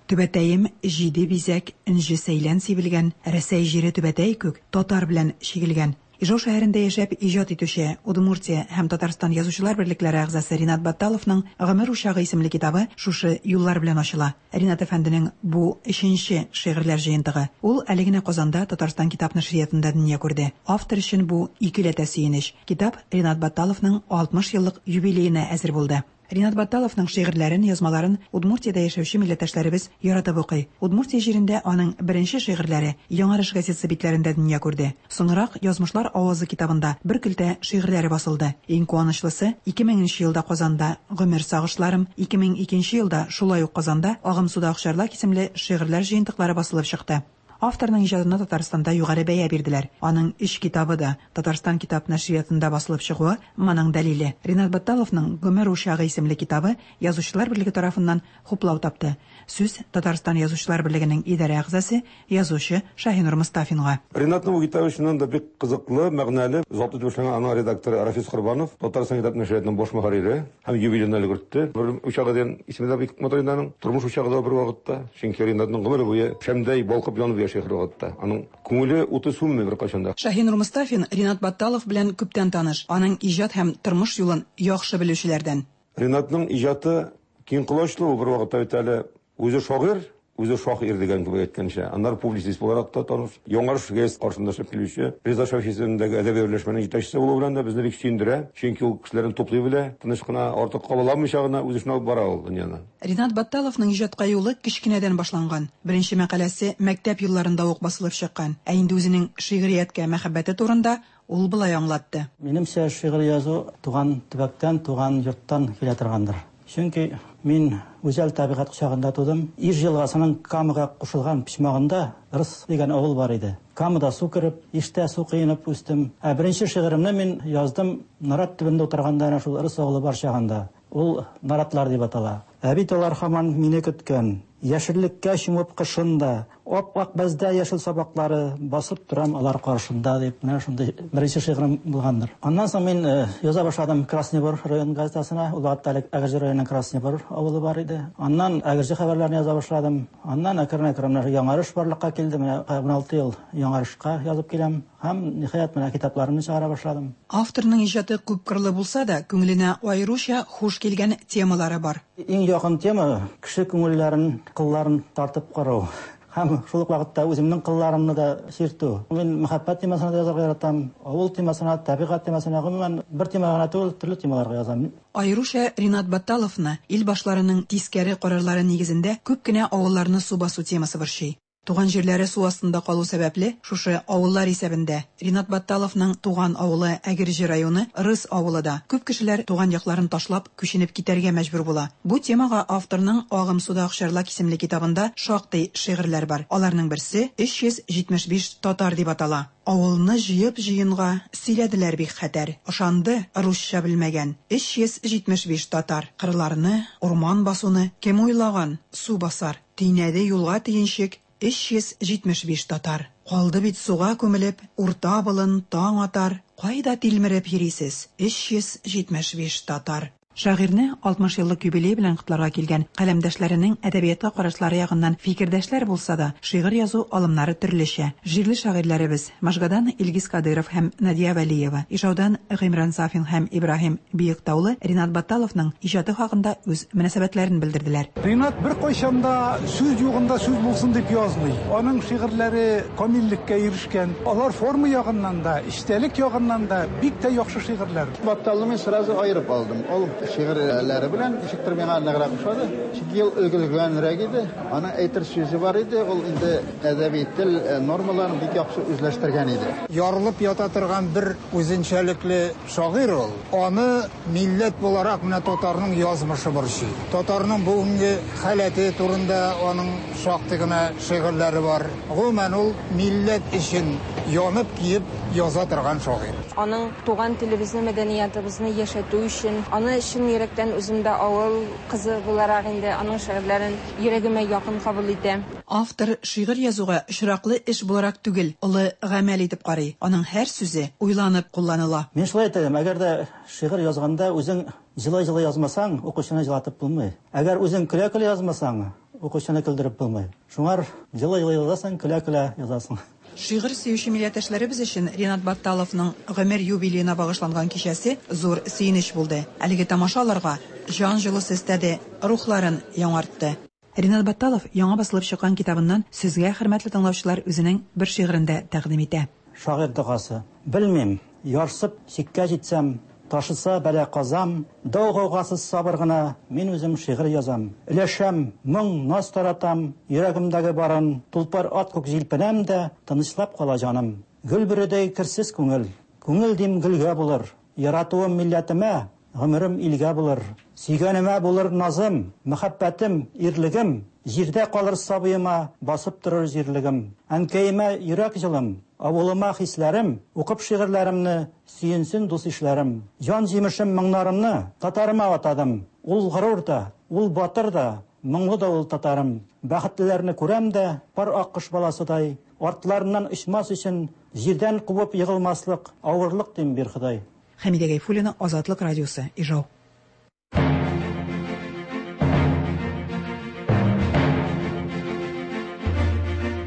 [SPEAKER 35] Түбәтәем җиде бизәк, энҗе сәйлән сибелгән, Рәсәй җире түбәтәй күк, татар белән чигелгән. Ижау шәһәрендә яшәп иҗат итүче Удмуртия һәм Татарстан язучылар берлекләре әгъзасы Ринат Батталовның Гомер учагы исемле китабы шушы юллар белән ачыла. Ринат әфәнденең бу өченче шигырьләр җыентыгы. Ул әле генә Казанда Татарстан китап нәшриятында дөнья күрде. Автор өчен бу икеләтә сөенеч. Китап Ринат Батталовның 60 еллык юбилеена әзер булды. Ринат Батталовның шигырьләрен, язмаларын Удмуртиядә яшәүче милләттәшләребез яратып укый. Удмуртия җирендә аның беренче шигырьләре Яңарыш газетасы битләрендә дөнья күрде. Соңрак Язмышлар авазы китабында бер көлтә шигырьләре басылды. Иң куанычлысы, 2000 елда Казанда Гомер сагышларым, 2002 елда шулай ук Казанда Агымсуда акчарлак исемле шигырьләр җыентыклары басылып чыкты. Авторның иҗатына Татарстанда югары бәя бирделәр. Аның өч китабы да Татарстан китап нәшриятында басылып чыгуы моның дәлиле. Ринат Батталовның Гомер учагы исемле китабы Язучылар берлеге тарафыннан хуплау тапты. Сүз Татарстан Язучылар берлегенең идарә әгъзасы, язучы Шаһинур Мостафинга.
[SPEAKER 36] Ринатның бу китабы чыннан да бик кызыклы, мәгънәле. Затлы итеп эшләгән аның редакторы Рафис Корбанов, Татарстан китап нәшриятының баш мөхәррире һәм юбилеен өлгертте. Гомер учагы дигән исеме дә бик матур инде аның. Тормыш учагы да бер вакытта. Чөнки Ринатның гомере буе шәмдәй балкып янып яши һәр вакытта. Аның күңеле уты сүнми беркайчан да.
[SPEAKER 35] Шаһинур Мостафин Ринат Батталов белән күптән таныш. Аның иҗат һәм тормыш юлын яхшы белүчеләрдән.
[SPEAKER 36] Ринатның иҗаты киң колачлы, ул бер вакытта бит әле үзе шагыйрь, Үзе шагыйрь дигән кебек әйткәнчә. Аннары публицист буларак та таныш. Яңарыш гәзит каршында эшләп килүче Риза Шәфи исемендәге әдәби берләшмәнең җитәкчесе булуы белән дә безне бик сөендерә. Чөнки ул кешеләрне туплый белә, тыныч кына, артык кабаланмыйча гына үз эшен алып бара ул дөньяны.
[SPEAKER 35] Ринат Батталовның иҗатка юлы кечкенәдән башланган. Беренче мәкаләсе мәктәп елларында ук басылып чыккан. Ә инде үзенең шигърияткә мәхәббәте турында ул болай аңлатты.
[SPEAKER 10] Минемчә, шигырь язу туган төбәктән, туган йорттан килә торгандыр. Чөнки мин гүзәл табигать кочагында тудым. Иж елгасының Камага кушылган почмагында Рыс дигән авыл бар иде. Камада су кереп, Иштә су коенып үстем. Ә беренче шигыремне мин яздым нарат төбендә утырганда, әнә шул Рыс авылы бар чагында. Ул Наратлар дип атала. Ә бит алар һаман мине көткән. Яшеллеккә чумып кышын да, Ап-ак бәздә яшел сабаклары, Басып торам алар каршында, дип, менә шундый беренче шигырем булгандыр. Аннан соң мин яза башладым Красный Бор район газетасына. Ул вакытта әле Әгерҗе районының Красный Бор авылы бар иде. Аннан Әгерҗе хәбәрләрен яза башладым. Аннан әкрен-әкрен менә Яңарыш барлыкка килде. Менә 16 ел Яңарышка язып киләм. Һәм, ниһаять, менә китапларымны чыгара башладым.
[SPEAKER 35] Авторның иҗаты күпкырлы булса да, күңеленә аеруча хуш килгән темалары бар.
[SPEAKER 10] Иң якын тема, кеше күңелләрен, кылларын тартып карау. Һәм шул ук вакытта үземнең кылларымны да чиртү. Мин мәхәббәт темасына да язарга яратам, авыл темасына, табигать темасына, гомумән, бер тема гына түгел, төрле темаларга язам.
[SPEAKER 35] Аеруча Ринат Батталовны ил башларының тискәре карарлары нигезендә күп кенә авылларны су басу темасы борчый. Туган җирләре су астында калу сәбәпле, шушы авыллар исәбендә, Ринат Батталовның туган авылы Әгерҗе районы Рыс авылы да. Күп кешеләр туган якларын ташлап, күченеп китәргә мәҗбүр була. Бу темага авторның Агым суда акчарлак исемле китабында шактый шигырьләр бар. Аларның берсе 375 татар дип атала. Авылны җыеп җыенга Сөйләделәр бик хәтәр. Ышанды, русча белмәгән, 375 татар. Кырларны, урман-басуны Кем уйлаган, су басар. Төйнәде юлга төенчек 375 татар. Калды бит суга күмелеп, Урта болын, таң атар, Кайда тилмереп йөрисез, 375 татар? Шагыйрьне 60 еллык юбилее белән котларга килгән каләмдәшләренең әдәбиятка карашлары ягыннан фикердәшләр булса да, шигырь язу алымнары төрлечә. Җирле шагыйрьләребез, Можгадан Илгиз Кадыйров һәм Надия Вәлиева, Ижаудан Гыймран Сафин һәм Ибраһим Биектаулы Ринат Батталовның иҗаты хакында үз мөнәсәбәтләрен белдерделәр.
[SPEAKER 2] Ринат беркайчан да сүз югында сүз булсын дип язмый. Аның шигырьләре камиллеккә ирешкән. Алар форма ягыннан да, эчтәлек ягыннан да бик тә яхшы шигырьләр.
[SPEAKER 3] Батталны мин сразу аерып алдым. Ул шигырьләре белән ничектер миңа ныграк ошады. Чөнки ул өлгергәнрәк иде. Аның әйтер сүзе бар иде. Ул инде әдәби тел нормаларын бик яхшы үзләштергән иде.
[SPEAKER 5] Ярылып ята торган бер үзенчәлекле шагыйрь ул. Аны милләт буларак менә татарның язмышы борчый. Татарның бүгенге халәте турында аның шактый гына шигырьләре бар. Гомумән, ул милләт өчен янып-көеп яза торган шагыйрь.
[SPEAKER 30] Аның туган телебезне, мәдәниятыбызны яшәтү өчен, аны чын йөрәктән үзем дә авыл кызы буларак инде аның шигырьләрен йөрәгемә якын кабул итәм.
[SPEAKER 35] Автор шигырь язуга очраклы эш буларак түгел, олы гамәл итеп карый. Аның һәр сүзе уйланып кулланыла.
[SPEAKER 10] Мин шулай әйтәм, әгәр дә шигырь язганда үзең җылый-җылый язмасаң, укучыны җылатып булмый. Әгәр үзең көлә-көлә язмасаң, укучыны көлдереп булмый. Шуңар җылый-җылый язасың, көлә-көлә язасың.
[SPEAKER 35] Шигырь сөюче милләттәшләребез өчен Ринат Батталовның гомер юбилеена багышланган кичәсе зур сөенеч булды. Әлеге тамаша аларга җан җылысы өстәде, рухларын яңартты. Ринат Батталов яңа басылып чыккан китабыннан сезгә, хөрмәтле тыңлаучылар, үзенең бер шигырен дә тәкъдим итә.
[SPEAKER 10] Шагыйрь догасы. Белмим, ярсып чиккә җитсәм, Ташыса бәла-казам, Дау-гаугасыз сабыр гына Мин үзем шигырь язам. Өләшәм, моң, наз таратам, Йөрәгемдәге барын, Тулпар ат күк җилпенәм дә, Тынычлап кала җаным. Гөл бөредәй керсез күңел, Күңел дим гөлгә булыр. Яратуым милләтемә, Гомерем илгә булыр. Сөйгәнемә булыр назым, Мәхәббәтем, ирлегем. Җирдә калыр сабыема, Басып торыр җирлегем. Әнкәемә йөрәк җылым, Авылыма хисләрем, Укып шигырьләремне, Сөенсен дус-ишләрем. Җан җимешем моңнарымны Татарыма атадым. Ул горур да, ул батыр да, Моңлы да ул татарым. Бәхетлеләрне күрәм дә, Пар аккош баласыдай, Артларыннан очмас өчен, Җирдән кубып егылмаслык Авырлык дим, бир Ходай.
[SPEAKER 35] Хәмидә Гайфуллина, Азатлык радиосы, Ижау.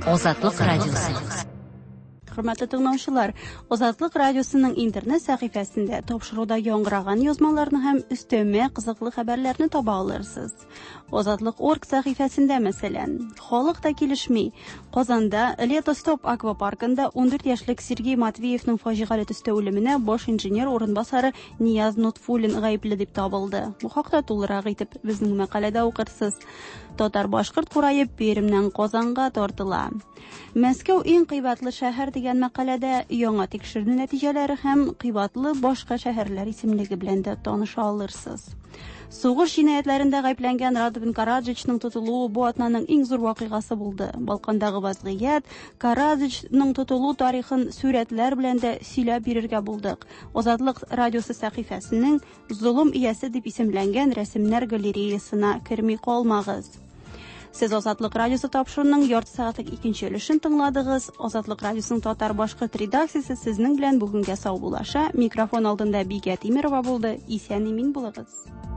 [SPEAKER 7] Азатлык радиосы.
[SPEAKER 1] Хөрмәтле тыңлаучылар, Азатлык радиосының интернет сәхифәсендә тапшыруда яңгыраган язмаларны һәм өстәмә кызыклы хәбәрләрне таба алырсыз. Азатлык.орг сәхифәсендә, мәсәлән, халык та килешми. Казанда Лето Стоп аквапаркында 14 яшьлек Сергей Матвеевның фаҗигале төстә үлеменә баш инженер урынбасары Нияз Нотфуллин гаепле дип табылды. Бу хакта тулырак итеп безнең мәкаләдә укырсыз. Татар-башкорт курае Пермьнән Казанга тартыла. Мәскәү иң кыйбатлы шәһәр дигән мәкаләдә яңа тикшеренү нәтиҗәләре һәм кыйбатлы башка шәһәрләр исемлеге белән дә таныша алырсыз. Сугыш җинаятьләрендә гаепләнгән Радован Караджичның тотылуы бу атнаның иң зур вакыйгасы булды. Балкандагы вазгыять, Караджичның тотылу тарихын сүрәтләр белән дә сөйләп бирергә булдык. Азатлык радиосы сәхифәсенең Золым иясе дип исемләнгән рәсемнәр галереясына керми калмагыз. Сез Азатлык радиосы тапшыруының ярты сәгатьлек икенче өлешен тыңладыгыз. Азатлык радиосының татар-башкорт редакциясе сезнең белән бүгенгә саубуллаша. Микрофон алдында Бикә Тимерова булды. Исән-имин булыгыз.